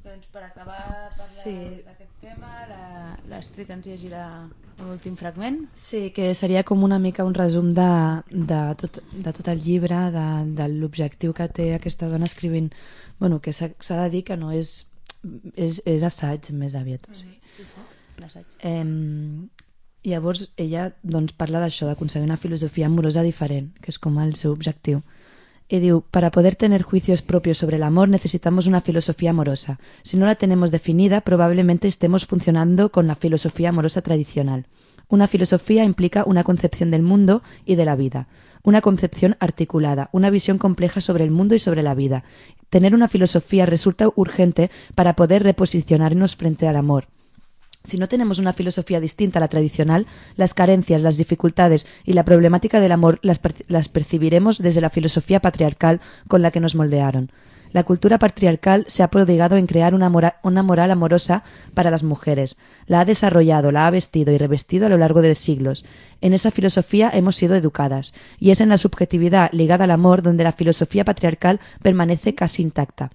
Doncs per acabar parlar Sí. d'aquest tema, la- l'Astrid ens llegirà l'últim fragment. Sí, que seria com una mica un resum de, de, tot, de tot el llibre, de, de l'objectiu que té aquesta dona escrivint, bueno, que s'ha s'ha de dir que no és, és, és assaig més aviat. O sigui. L'assaig. Eh, llavors ella doncs, parla d'això, d'aconseguir una filosofia amorosa diferent, que és com el seu objectiu. Y diu, para poder tener juicios propios sobre el amor necesitamos una filosofía amorosa. Si no la tenemos definida, probablemente estemos funcionando con la filosofía amorosa tradicional. Una filosofía implica una concepción del mundo y de la vida, una concepción articulada, una visión compleja sobre el mundo y sobre la vida. Tener una filosofía resulta urgente para poder reposicionarnos frente al amor. Si no tenemos una filosofía distinta a la tradicional, las carencias, las dificultades y la problemática del amor las, perci- las percibiremos desde la filosofía patriarcal con la que nos moldearon. La cultura patriarcal se ha prodigado en crear una, mora- una moral amorosa para las mujeres. La ha desarrollado, la ha vestido y revestido a lo largo de siglos. En esa filosofía hemos sido educadas, y es en la subjetividad ligada al amor donde la filosofía patriarcal permanece casi intacta.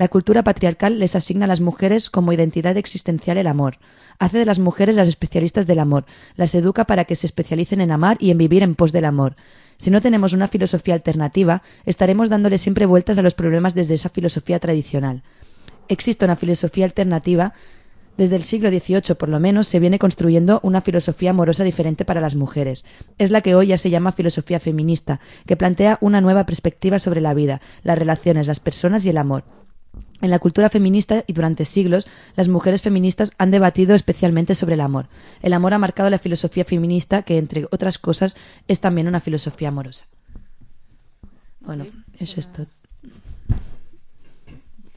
La cultura patriarcal les asigna a las mujeres como identidad existencial el amor. Hace de las mujeres las especialistas del amor. Las educa para que se especialicen en amar y en vivir en pos del amor. Si no tenemos una filosofía alternativa, estaremos dándole siempre vueltas a los problemas desde esa filosofía tradicional. Existe una filosofía alternativa. Desde el siglo dieciocho, por lo menos, se viene construyendo una filosofía amorosa diferente para las mujeres. Es la que hoy ya se llama filosofía feminista, que plantea una nueva perspectiva sobre la vida, las relaciones, las personas y el amor. En la cultura feminista y durante siglos, las mujeres feministas han debatido especialmente sobre el amor. El amor ha marcado la filosofía feminista, que, entre otras cosas, es también una filosofía amorosa. Bueno, això és tot.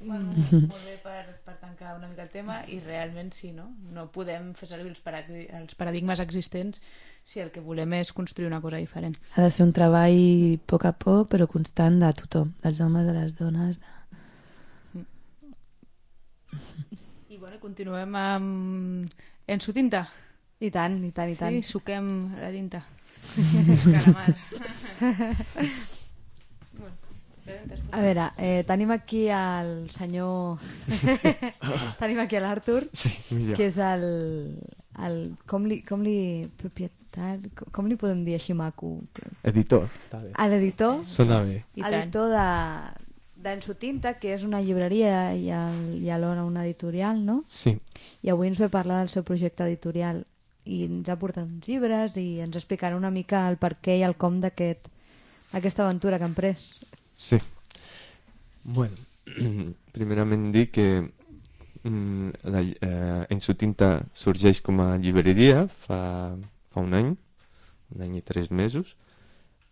Bueno, molt bé per, per tancar una mica el tema, i realment sí, no? No podem fer servir els, paradi els paradigmes existents si el que volem és construir una cosa diferent. Ha de ser un treball a poc a poc, però constant, de tothom, dels homes, de les dones. De... I bueno, continuem amb Ensu Tinta. I tant, i tant, i tant. Sí, suquem la tinta. Calamar. A veure, eh, tenim aquí el senyor... tenim aquí l'Artur, Sí, millor. que és el... el com, li, com li... propietari... Com li podem dir així maco? Editor, està bé. L'editor. Sona bé. I tant. Editor de d'Ensu Tinta, que és una llibreria i, el, i alhora una editorial, no? Sí, I avui ens ve a parlar del seu projecte editorial i ens ha portat uns llibres i ens explicarà una mica el per què i el com d'aquest aquesta aventura que han pres. sí. Bueno, primerament dir que mm, la, eh, Ensu Tinta sorgeix com a llibreria fa, fa un any, un any i tres mesos,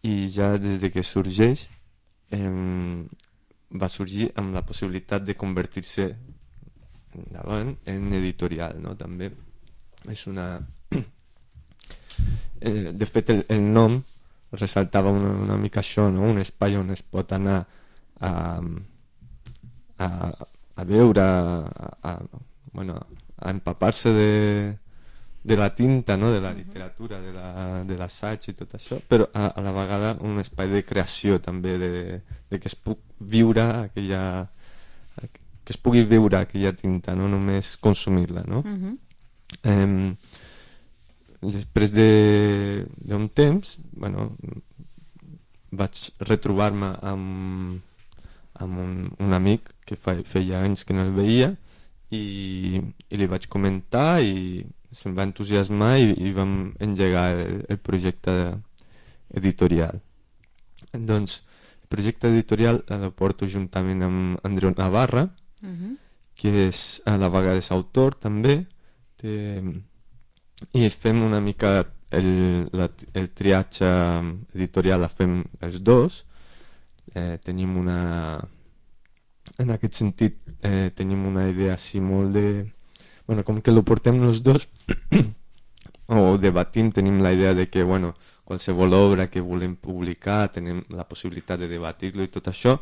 i ja des de que sorgeix eh, va sorgir amb la possibilitat de convertir-se endavant en editorial, no? També és una... eh, de fet, el, el nom ressaltava una, una mica això, no? Un espai on es pot anar a, a, a veure, a, a, bueno, a empapar-se de, de la tinta, no? De la literatura, de la, de l'assaig i tot això, però a, a la vegada un espai de creació també, de, de que es pugui viure aquella, que es pugui viure aquella tinta, no només consumir-la, no? Uh-huh. eh, després d'un de, temps, bueno, vaig retrobar-me amb, amb un, un amic que fa, feia anys que no el veia, i, i li vaig comentar i se'm va entusiasmar i, i vam engegar el, el projecte editorial. Doncs el projecte editorial el porto juntament amb Andreu Navarra, Uh-huh. que és a la vegada és autor també, té, i fem una mica el, la, el triatge editorial, la fem els dos. Eh, tenim una... En aquest sentit, eh, tenim una idea així molt de... Bueno, com que lo portem els dos, o debatim, tenim la idea de que, bueno, qualsevol obra que volem publicar, tenim la possibilitat de debatir-lo i tot això,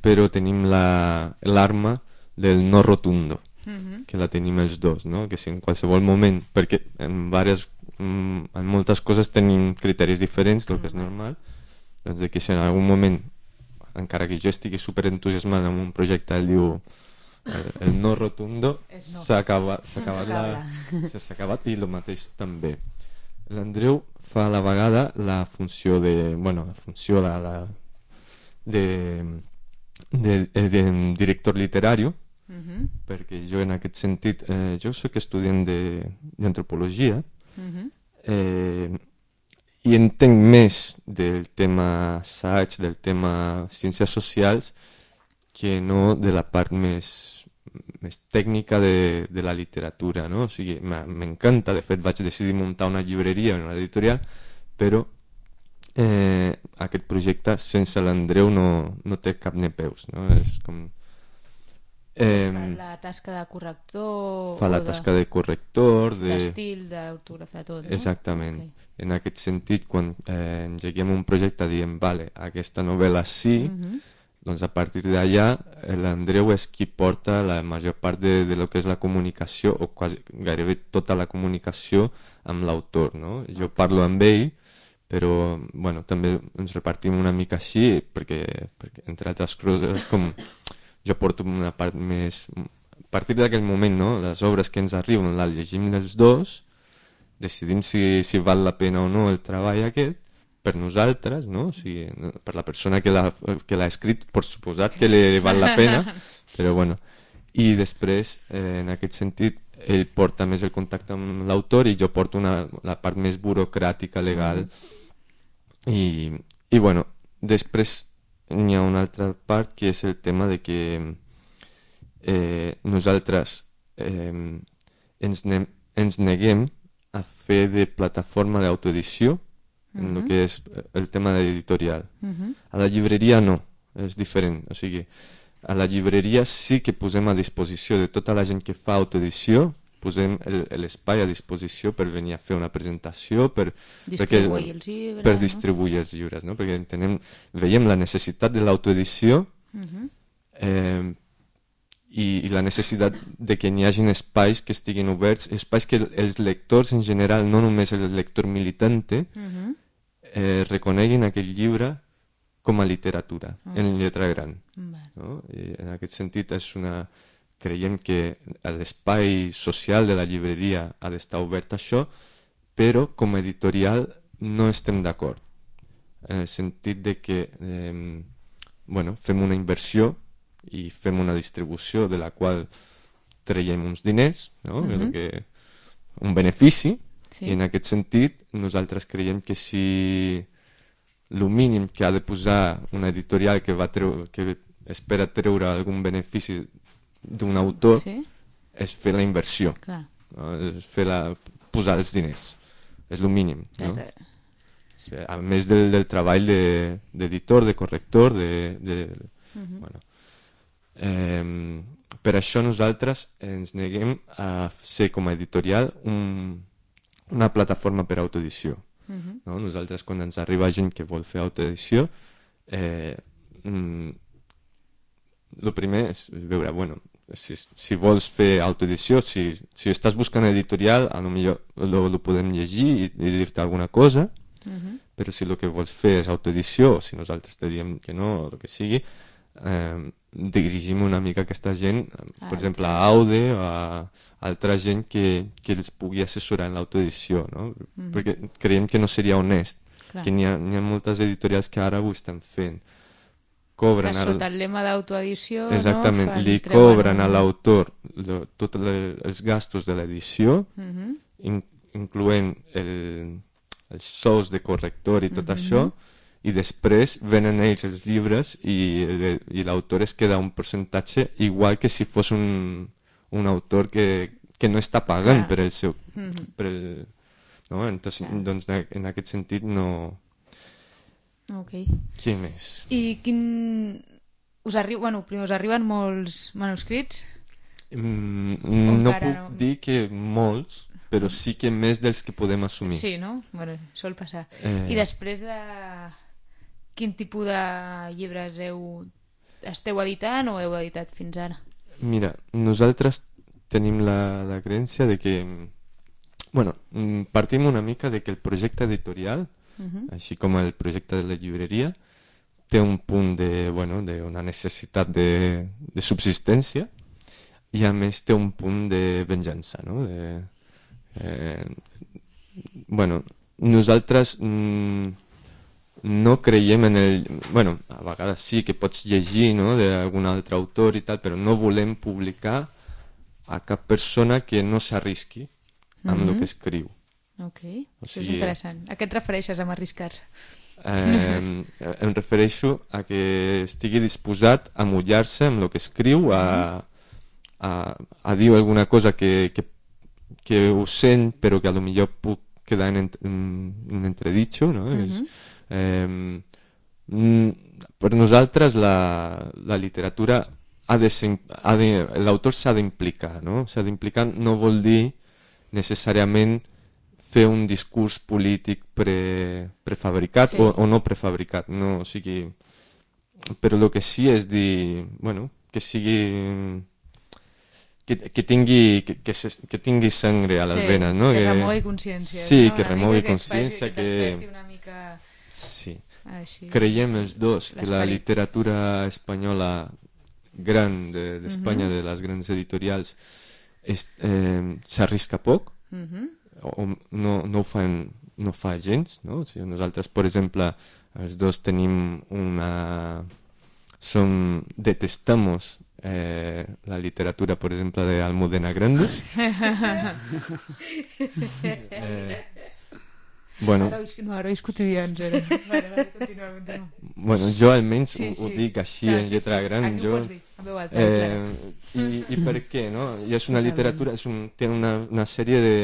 però tenim l'arma del no rotundo, Uh-huh. que la tenim els dos, no? Que si en qualsevol moment, perquè en, diverses, en moltes coses tenim criteris diferents, el que és normal, doncs de que si en algun moment, encara que jo estigui superentusiasmat amb un projecte, ell diu el, el no rotundo, no. s'ha acabat, s'ha acabat, la, s'ha acabat, i el mateix també. L'Andreu fa a la vegada la funció de, bueno, la funció la, la, de, de, de, de director literari, Uh-huh. perquè jo en aquest sentit, eh, jo soc estudiant d'antropologia, Uh-huh. eh, i entenc més del tema assaig, del tema ciències socials, que no de la part més, més tècnica de, de la literatura, no? O sigui, m'encanta, de fet vaig decidir muntar una llibreria, una editorial, però eh, aquest projecte sense l'Andreu no, no té cap ni peus, no? És com... Eh, Fa la tasca de corrector... fa la o de- tasca de corrector, de... d'estil, d'autògraf, de tot, no? Exactament. Ok. En aquest sentit, quan eh, engeguem un projecte diem, vale, aquesta novel·la sí, Uh-huh. doncs a partir d'allà eh, l'Andreu és qui porta la major part de, de lo que és la comunicació, o quasi, gairebé tota la comunicació amb l'autor, no? Jo parlo amb ell, però bueno, també ens repartim una mica així, perquè, perquè entre altres coses, com jo porto una part més... A partir d'aquell moment, no? Les obres que ens arriben les llegim els dos, decidim si, si val la pena o no el treball aquest, per nosaltres, no? O sigui, per la persona que l'ha que l'ha escrit, per suposat que li val la pena, però bueno. I després, eh, en aquest sentit, ell porta més el contacte amb l'autor i jo porto una, la part més burocràtica, legal. Mm. I, i bueno, després n'hi ha una altra part que és el tema de que eh, nosaltres eh, ens, ne ens neguem a fer de plataforma d'autoedició en uh-huh. el que és el tema de l'editorial. Uh-huh. A la llibreria no, és diferent. O sigui, a la llibreria sí que posem a disposició de tota la gent que fa autoedició, posem l'espai a disposició per venir a fer una presentació, per distribuir perquè, els llibres, per no? distribuir els llibres, no? Perquè entenem, veiem la necessitat de l'autoedició uh-huh. eh, i, i la necessitat de que n'hi hagin espais que estiguin oberts, espais que els lectors en general, no només el lector militante, uh-huh. eh, reconeguin aquell llibre com a literatura, uh-huh. en lletra gran. Uh-huh. No? I en aquest sentit és una... creiem que l'espai social de la llibreria ha d'estar obert a això, però com a editorial no estem d'acord, en el sentit de que eh, bueno, fem una inversió i fem una distribució de la qual traiem uns diners, no? Uh-huh. que, un benefici, sí. I en aquest sentit nosaltres creiem que si el mínim que ha de posar una editorial que, va treu que espera treure algun benefici d'un autor, sí. És fer la inversió, no? És fer la, posar els diners, és el mínim, no? Sí, a més del, del treball d'editor, de, de corrector, de, de, uh-huh. bueno. eh, per això nosaltres ens neguem a ser com a editorial un, una plataforma per autoedició. Uh-huh. No? Nosaltres quan ens arriba gent que vol fer autoedició, eh, mm, el primer és veure, bueno, si, si vols fer autoedició, si, si estàs buscant editorial, a lo millor lo, lo podem llegir i, i dir-te alguna cosa, uh-huh. Però si el que vols fer és autoedició, o si nosaltres te diem que no, o el que sigui, eh, dirigim una mica aquesta gent, per exemple a Aude o a altra gent que, que els pugui assessorar en l'autoedició, no? Uh-huh. Perquè creiem que no seria honest. Clar. Que n'hi ha, n'hi ha moltes editorials que ara ho estan fent. Cobren que sota el lema d'autoedició, exactament, no? li cobren a l'autor tots els gastos de l'edició, uh-huh. in, incloent el, els sous de corrector i tot uh-huh. això, i després venen ells els llibres i, i l'autor es queda un percentatge igual que si fos un, un autor que, que no està pagant ah. per el seu... Uh-huh. Per el, no? Entonces, ah. doncs, en aquest sentit no... Okay. Què més? I quin... Us, arri... bueno, primer, us arriben molts manuscrits? Mm, no puc no? dir que molts, però sí que més dels que podem assumir. Sí, no? Bueno, sol passar. Eh... I després de... Quin tipus de llibres heu... esteu editant o heu editat fins ara? Mira, nosaltres tenim la, la creença de que... Bueno, partim una mica de que el projecte editorial, Uh-huh. així com el projecte de la llibreria, té un punt de, bueno, de una necessitat de, de subsistència i a més té un punt de venjança, no? De, eh, bueno, nosaltres mm, no creiem en el... Bueno, a vegades sí que pots llegir, no?, d'algun altre autor i tal, però no volem publicar a cap persona que no s'arrisqui amb el uh-huh. que escriu. Ok, o sigui, això és interessant. A què et refereixes amb arriscar-se? Eh, em refereixo a que estigui disposat a mullar-se amb el que escriu, a, a, a dir alguna cosa que, que, que ho sent però que a lo millor puc quedar en, en, en entreditxo, no? Uh-huh. És, eh, per nosaltres la, la literatura ha de ser, ha de, l'autor s'ha d'implicar, no? S'ha d'implicar no vol dir necessàriament fer un discurs polític pre, prefabricat sí. o, o no prefabricat, no, o sigui, però el que sí és dir, bueno, que sigui que, que tingui que, que, se, que tingui sangre a les sí, venes, no? Que, que remogui consciència, sí, no? que Una remogui que consciència, que, que... una mica... sí. Així. Creiem els dos que la literatura espanyola gran de- d'Espanya, de, de les grans editorials, és, eh, s'arrisca poc, Mhm. o no, no ho fan, no fa gens, no? O sigui, nosaltres, per exemple, els dos tenim una... Som, detestamos eh, la literatura, per exemple, de Almudena Grandes. eh, bueno, Herois, no, herois quotidians, era. Vale, vale, continua, continua. bueno, jo almenys Sí, ho, ho sí. dic així, Clar, en sí, lletra sí. gran. Aquí ho Jo, pots dir, en veu alta, eh, i, I per què, no? I és una literatura, és un, té una, una sèrie de,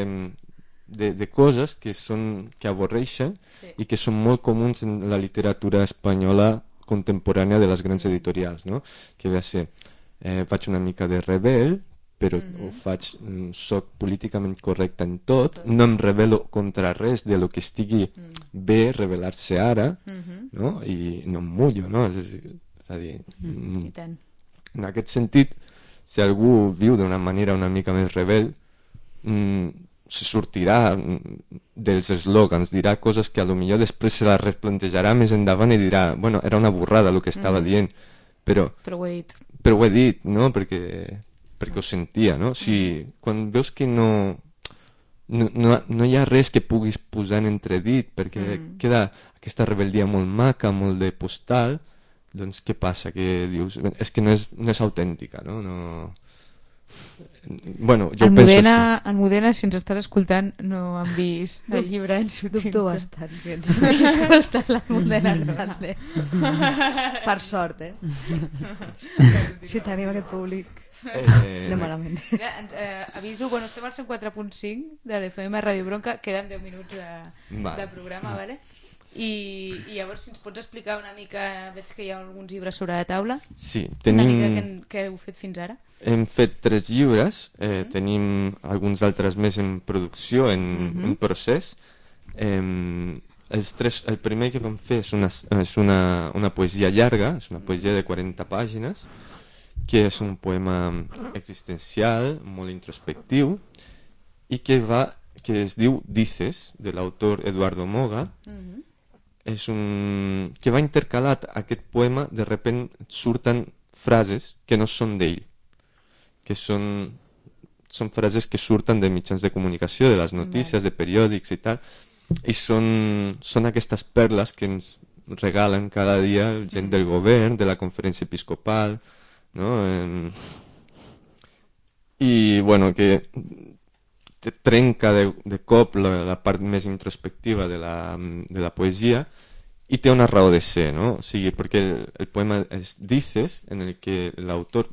de, de coses que, són, que avorreixen Sí. i que són molt comuns en la literatura espanyola contemporània de les grans editorials, no? Que ve a ser, eh, faig una mica de rebel, però ho faig, mm, soc políticament correcte en tot, no em rebel·lo contra res de lo que estigui bé rebel·lar-se ara, no? I no em mullo, no? És, és a dir, mm, I tant. en aquest sentit, si algú viu d'una manera una mica més rebel, mm, se sortirà mm, dels eslògans, dirà coses que a lo millor després se les replantejarà més endavant i dirà, bueno, era una burrada el que estava dient, però, Però ho he dit. però ho he dit, no? Perquè, perquè ho sentia, no? Si, quan veus que no, no, no, no hi ha res que puguis posar en entredit, perquè queda aquesta rebel·lia molt maca, molt de postal, doncs què passa? Que dius, és que no és, no és autèntica, no? No... Bueno, jo En penso Modena, en Modena, si ens estàs escoltant, no han vist el llibre en su Dubto tinta. bastant que ens estigui escoltant la Modena Hernández. Per sort, eh? Si tenim aquest públic Eh, de malament. Ja, eh, aviso, bueno, estem al cent quatre punt cinc de l'F M Ràdio Bronca, queden deu minuts de, Vale. de programa, vale? I, i llavors si ens pots explicar una mica, veig que hi ha alguns llibres sobre la taula, Sí, una mica tenim... què, què heu fet fins ara? Hem fet tres llibres, eh, tenim alguns altres més en producció, en, en procés. Eh, els tres, el primer que vam fer és una, és una, una poesia llarga, és una poesia de quaranta pàgines, que és un poema existencial, molt introspectiu, i que, va, que es diu Dices, de l'autor Eduardo Moga. És un... que va intercalat aquest poema, de repent surten frases que no són d'ell, que són, són frases que surten de mitjans de comunicació, de les notícies, de periòdics i tal, i són, són aquestes perles que ens regalen cada dia gent del govern, de la conferència episcopal, no? Eh, I, bueno, que te trenca de, de cop la, la part més introspectiva de la, de la poesia i té una raó de ser, no? O sigui, perquè el, el poema es Dices, en el que l'autor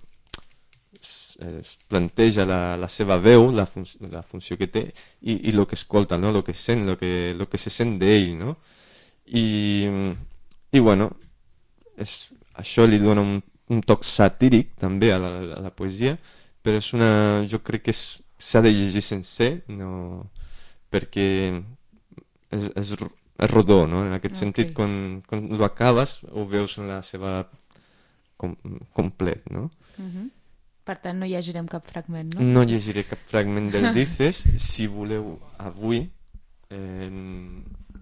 es, es planteja la, la seva veu, la, fun la funció que té i, i el que escolta, no? El que sent, el que, lo que se sent d'ell, no? I, i bueno, és, això li dona un, un toc satíric també a la, a la poesia, però és una, jo crec que s'ha de llegir sencer, no, perquè és, és, és rodó, no? En aquest Ok. sentit, quan, quan ho acabes ho veus en la seva com, complet, no? Uh-huh. Per tant, no llegirem cap fragment, no? No llegiré cap fragment del Dices. Si voleu, avui, eh,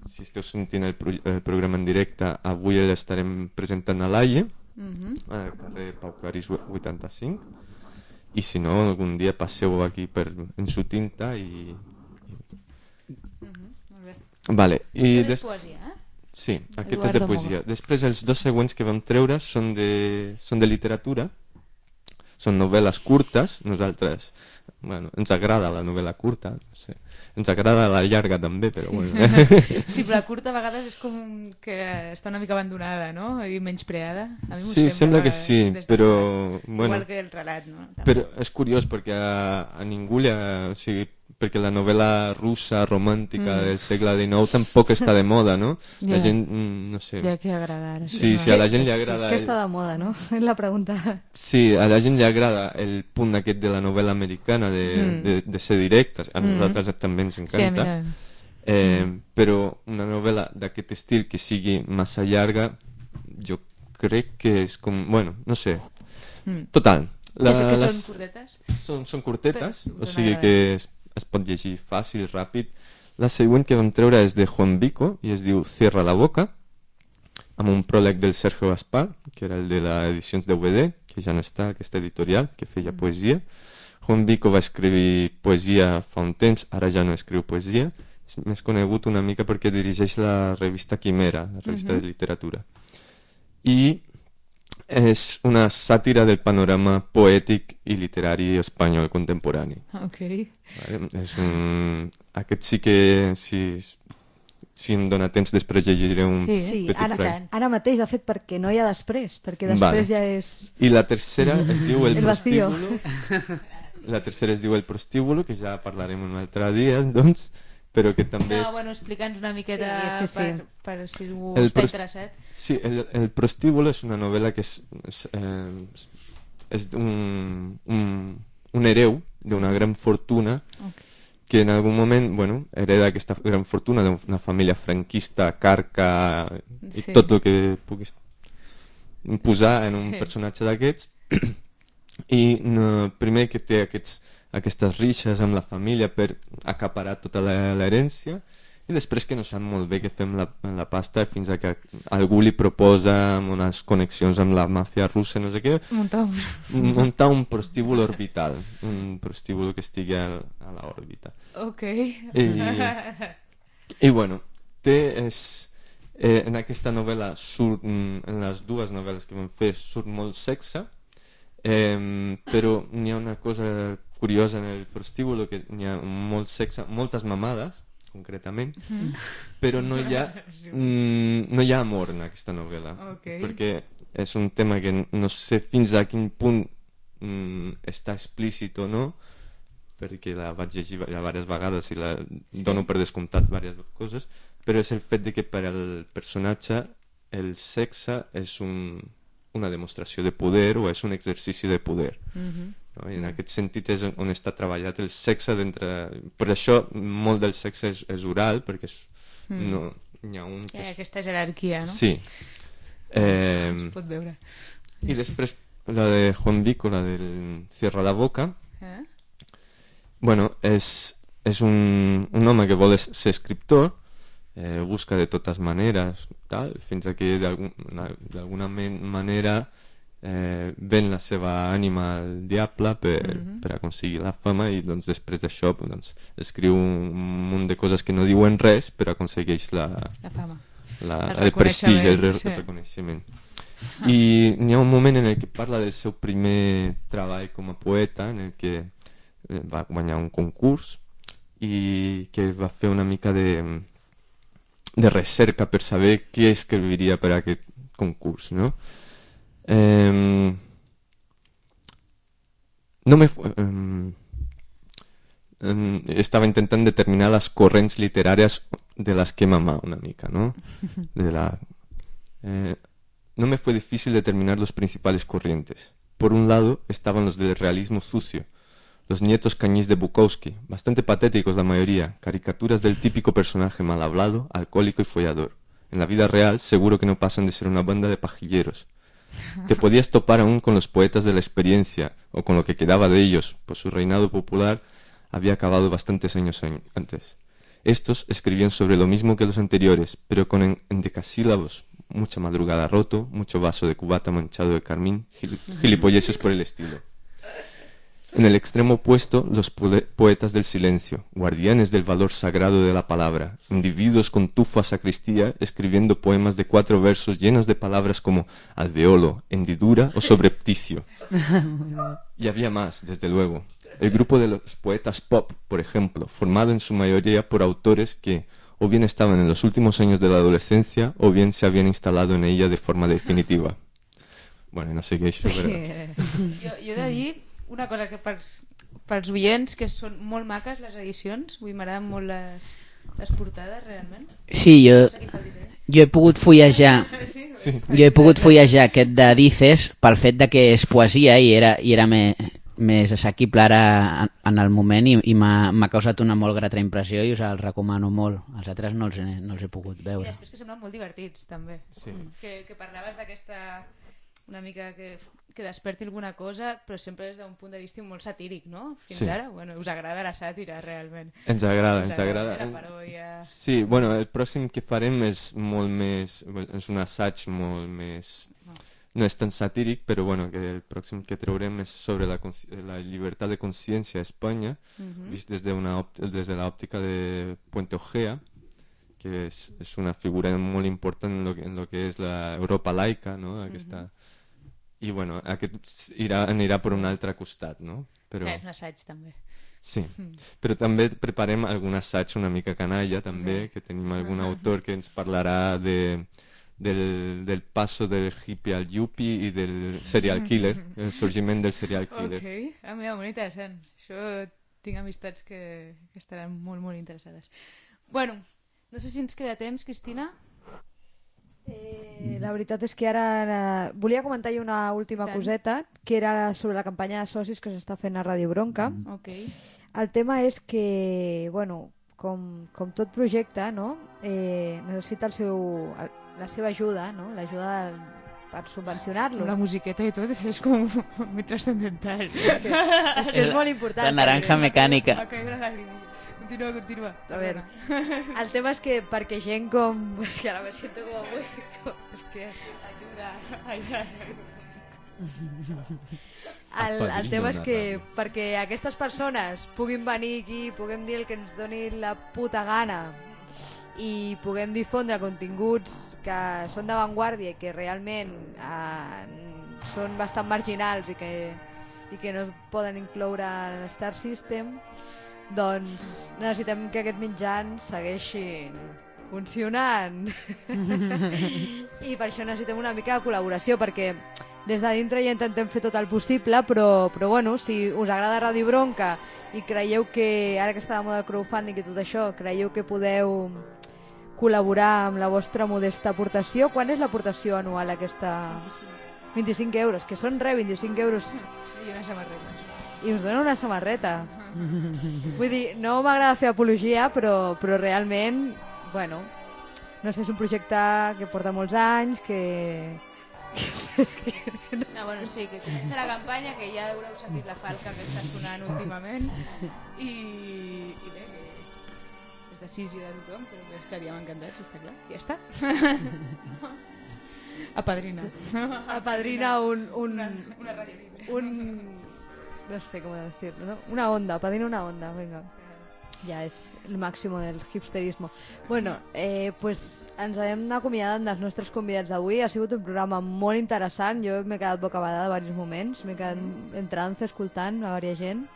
si esteu sentint el, pro el programa en directe, avui l'estarem presentant a l'Aie, Uh-huh. al carrer Pau Clarís vuitanta-cinc, i si no, algun dia passeu aquí per, en su tinta i... Molt bé. Vale, i I des... poesia, eh? Sí, aquest és Eduardo de poesia. Després els dos següents que vam treure són de, són de literatura, són novel·les curtes. Nosaltres, bueno, ens agrada la novel·la curta, no sé. Ens agrada la llarga també, però bueno. Sí, però la curta a vegades és com que està una mica abandonada, no? I menyspreada. A mi m'ho Sí, sembla que a sí, vegades, des de però, fora. bueno. Igual que el relat, no? També. Però és curiós perquè a, a ningú li ha... O sigui, perquè la novel·la russa romàntica Mm. del segle dinou tampoc està de moda, no? La Ja. gent, mm, no sé... Ja que agrada ara. Sí, sí, a la gent li agrada... Què està de moda, no? És la pregunta. Sí, a la gent li agrada el punt aquest de la novel·la americana, de, Mm. de, de ser directes. A Mm. nosaltres també ens Sí, a encanta. mi no. Eh, però una novel·la d'aquest estil que sigui massa llarga, jo crec que és com... Bueno, no sé. Mm. Total. La, que les- són curtetes? Són, són curtetes, Però o us sigui agrada. que es, es pot llegir fàcil, ràpid. La següent que vam treure és de Juan Vico i es diu Cierra la boca, amb un pròleg del Sergio Gaspar, que era el de les edicions de U V D, que ja no està, aquesta editorial, que feia poesia. Juan Vico va escriure poesia fa un temps, ara ja no escriu poesia. És més conegut una mica perquè dirigeix la revista Quimera, la revista de literatura. I és una sàtira del panorama poètic i literari espanyol contemporani. Okay. Vale? És un... Aquest sí que, si, si em dóna temps, després llegiré un Sí, Sí, petit ara, fragment. ara mateix, de fet, perquè no hi ha després, perquè després Vale. ja és... I la tercera es diu El, El vacío. prostíbulo. La tercera es diu El prostíbulo, que ja parlarem un altre dia, doncs, però que també No, és... bueno, explica'ns una miqueta Sí, sí, sí. Per, per si algú El està pros- interessat. Sí, el, el prostíbulo és una novel·la que és, és, eh, és un, un, un hereu d'una gran fortuna que en algun moment, bueno, hereda aquesta gran fortuna d'una família franquista, carca i Sí. tot el que puguis posar en un Sí. personatge d'aquests. I no, primer que té aquests, aquestes rixes amb la família per acaparar tota la- l'herència, i després que no sap molt bé què fer amb la, amb la pasta fins a que algú li proposa amb unes connexions amb la màfia russa, no sé què, Muntar un... muntar un prostíbulo orbital, un prostíbulo que estigui a, a l'òrbita. Ok. I, i bueno, té és, eh, en aquesta novel·la surt, mm, en les dues novel·les que vam fer surt molt sexe, eh, però n'hi ha una cosa curiosa en el prostíbulo, que n'hi ha molt sexe, moltes mamades concretament, però no hi ha mm, no hi ha amor en aquesta novel·la, Ok. perquè és un tema que no sé fins a quin punt mm, està explícit o no, perquè la vaig llegir ja diverses vegades i la dono per descomptat diverses coses, però és el fet de que per al personatge el sexe és un, una demostració de poder o és un exercici de poder. No? I en aquest sentit és on està treballat el sexe d'entre... Per això molt del sexe és, és oral, perquè és, no, n'hi ha un Hi que ha és... aquesta jerarquia, no? Sí. Eh, Es pot veure. I després la de Juan Vico, la del Cierra la boca, Eh? bueno, és, és un, un home que vol es- ser escriptor, eh, busca de totes maneres, tal, fins a que d'algun- d'alguna men- manera eh, ven la seva ànima al diable per, per aconseguir la fama, i doncs després d'això doncs, escriu un munt de coses que no diuen res, però aconsegueix la, La fama. la, El el prestigi, el, re- reconeixement, sí. el reconeixement. I n'hi ha un moment en el que parla del seu primer treball com a poeta, en el que eh, va guanyar un concurs i que va fer una mica de, de recerca per saber què escriviria per a aquest concurs, no? Eh, no me... fu- em, em, estava intentant determinar les corrents literàries de las que mamá una mica, ¿no? De la, eh, no me fue difícil determinar los principales corrientes. Por un lado estaban los del realismo sucio, los nietos cañís de Bukowski, bastante patéticos la mayoría, caricaturas del típico personaje mal hablado, alcohólico y follador. En la vida real seguro que no pasan de ser una banda de pajilleros. Te podías topar aún con los poetas de la experiencia, o con lo que quedaba de ellos, pues su reinado popular había acabado bastantes años an- antes. Estos escribían sobre lo mismo que los anteriores, pero con en- endecasílabos, mucha madrugada roto, mucho vaso de cubata manchado de carmín, gil- gilipolleces por el estilo. En el extremo opuesto, los pole- poetas del silencio, guardianes del valor sagrado de la palabra, individuos con tufo a sacristía, escribiendo poemas de cuatro versos llenos de palabras como alveolo, hendidura o sobrepticio. Y había más, desde luego. El grupo de los poetas pop, por ejemplo, formado en su mayoría por autores que o bien estaban en los últimos años de la adolescencia o bien se habían instalado en ella de forma definitiva. Bueno, no sé què és això, però... Jo, jo he de dir una cosa que pels, pels oients, que són molt maques les edicions, vull m'agraden molt les, les portades realment. Sí, jo, No sé qui fa el disseny. jo he pogut fullejar Sí? Sí. jo he pogut fullejar aquest de Dices pel fet de que és poesia i era, i era me, més assequible ara en, en el moment, i, i m'ha m'ha causat una molt grata impressió i us el recomano molt. Els altres no els he, no els he pogut I veure. després que semblen molt divertits també. Sí. Que, que parlaves d'aquesta una mica que, que desperti alguna cosa, però sempre des d'un punt de vista molt satíric, no? Fins Sí. ara, bueno, us agrada la sàtira realment. Ens agrada, Us ens agrada. La paròdia... Sí, bueno, el pròxim que farem és molt més... és un assaig molt més no és tan satíric, però bueno, que el pròxim que traurem és sobre la, la llibertat de consciència a Espanya, uh-huh. vist des de, una, des de l'òptica de Puente Ojea, que és, és una figura molt important en lo que, en lo que és l'Europa laica, no? Aquesta... Uh-huh. I bueno, aquest irà, anirà per un altre costat, no? Però... Que és un assaig també. Sí, mm. però també preparem algun assaig una mica canalla també, mm. que tenim algun autor que ens parlarà de, del, del passo del hippie al yuppie i del serial killer, el sorgiment del serial killer. Ok, ah, mira, molt interessant. Això tinc amistats que, que estaran molt, molt interessades. Bueno, no sé si ens queda temps, Cristina. Eh, la veritat és que ara eh, volia comentar una última Tant. coseta, que era sobre la campanya de socis que s'està fent a Ràdio Bronca. Okay. El tema és que, bueno, com, com tot projecte, no? eh, necessita el seu, el, la seva ajuda, no? L'ajuda del, per subvencionar-lo. La musiqueta i tot és com molt transcendental. És que és, que és molt important. La naranja mecànica. Va caure la llàgrima. Continua, continua. A veure, el tema és que perquè gent com... És que ara me siento com avui... Com... És que... Ajuda. Ai, ai. El, el tema és que perquè aquestes persones puguin venir aquí, puguem dir el que ens doni la puta gana i puguem difondre continguts que són d'avantguàrdia i que realment eh, són bastant marginals i que, i que no es poden incloure en el Star System, doncs necessitem que aquests mitjans segueixin funcionant i per això necessitem una mica de col·laboració, perquè des de dintre ja intentem fer tot el possible, però, però bueno, si us agrada Ràdio Bronca i creieu que, ara que està de moda el crowdfunding i tot això, creieu que podeu col·laborar amb la vostra modesta aportació, quan és l'aportació anual aquesta? vint-i-cinc euros, que són res, vint-i-cinc euros. I una samarreta. I us donen una samarreta. Vull dir, no m'agrada fer apologia, però, però realment, bueno, no sé, és un projecte que porta molts anys, que... No, bueno, sí, que comença la campanya, que ja haureu sentit la falca que està sonant últimament, i, i bé, que és decisió de tothom, però que estaríem encantats, està clar, ja està. Apadrina. Apadrina un... un una, una ràdio libre. Un... No sé com decirlo, ¿no? Una onda, apadrina una onda, venga. Ja és el màxim del hipsterismo. Bueno, eh, pues ens anem acomiadant dels nostres convidats d'avui. Ha sigut un programa molt interessant. Jo m'he quedat bocabadada a diversos moments. M'he quedat en trance escoltant a diversa gent.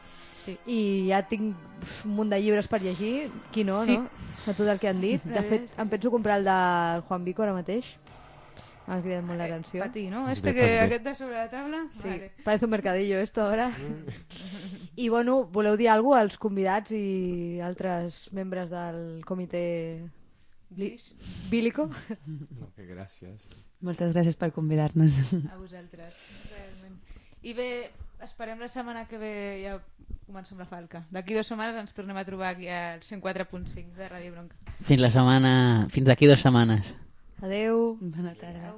Sí. I ja tinc uf, un munt de llibres per llegir. Qui no, sí. no? De tot el que han dit. De fet, em penso comprar el del Juan Vico ara mateix. M'ha cridat molt l'atenció. Patí, no? Este que aquest de sobre la taula? Sí, vale. parece un mercadillo esto ahora. I bueno, voleu dir alguna cosa als convidats i altres membres del comitè bílico? No, que gràcies. Moltes gràcies per convidar-nos. A vosaltres, realment. I bé, esperem la setmana que ve ja comencem la falca. D'aquí dues setmanes ens tornem a trobar aquí al cent quatre punt cinc de Ràdio Bronca. Fins la setmana... Fins d'aquí dues setmanes. Adeu. Bona tarda.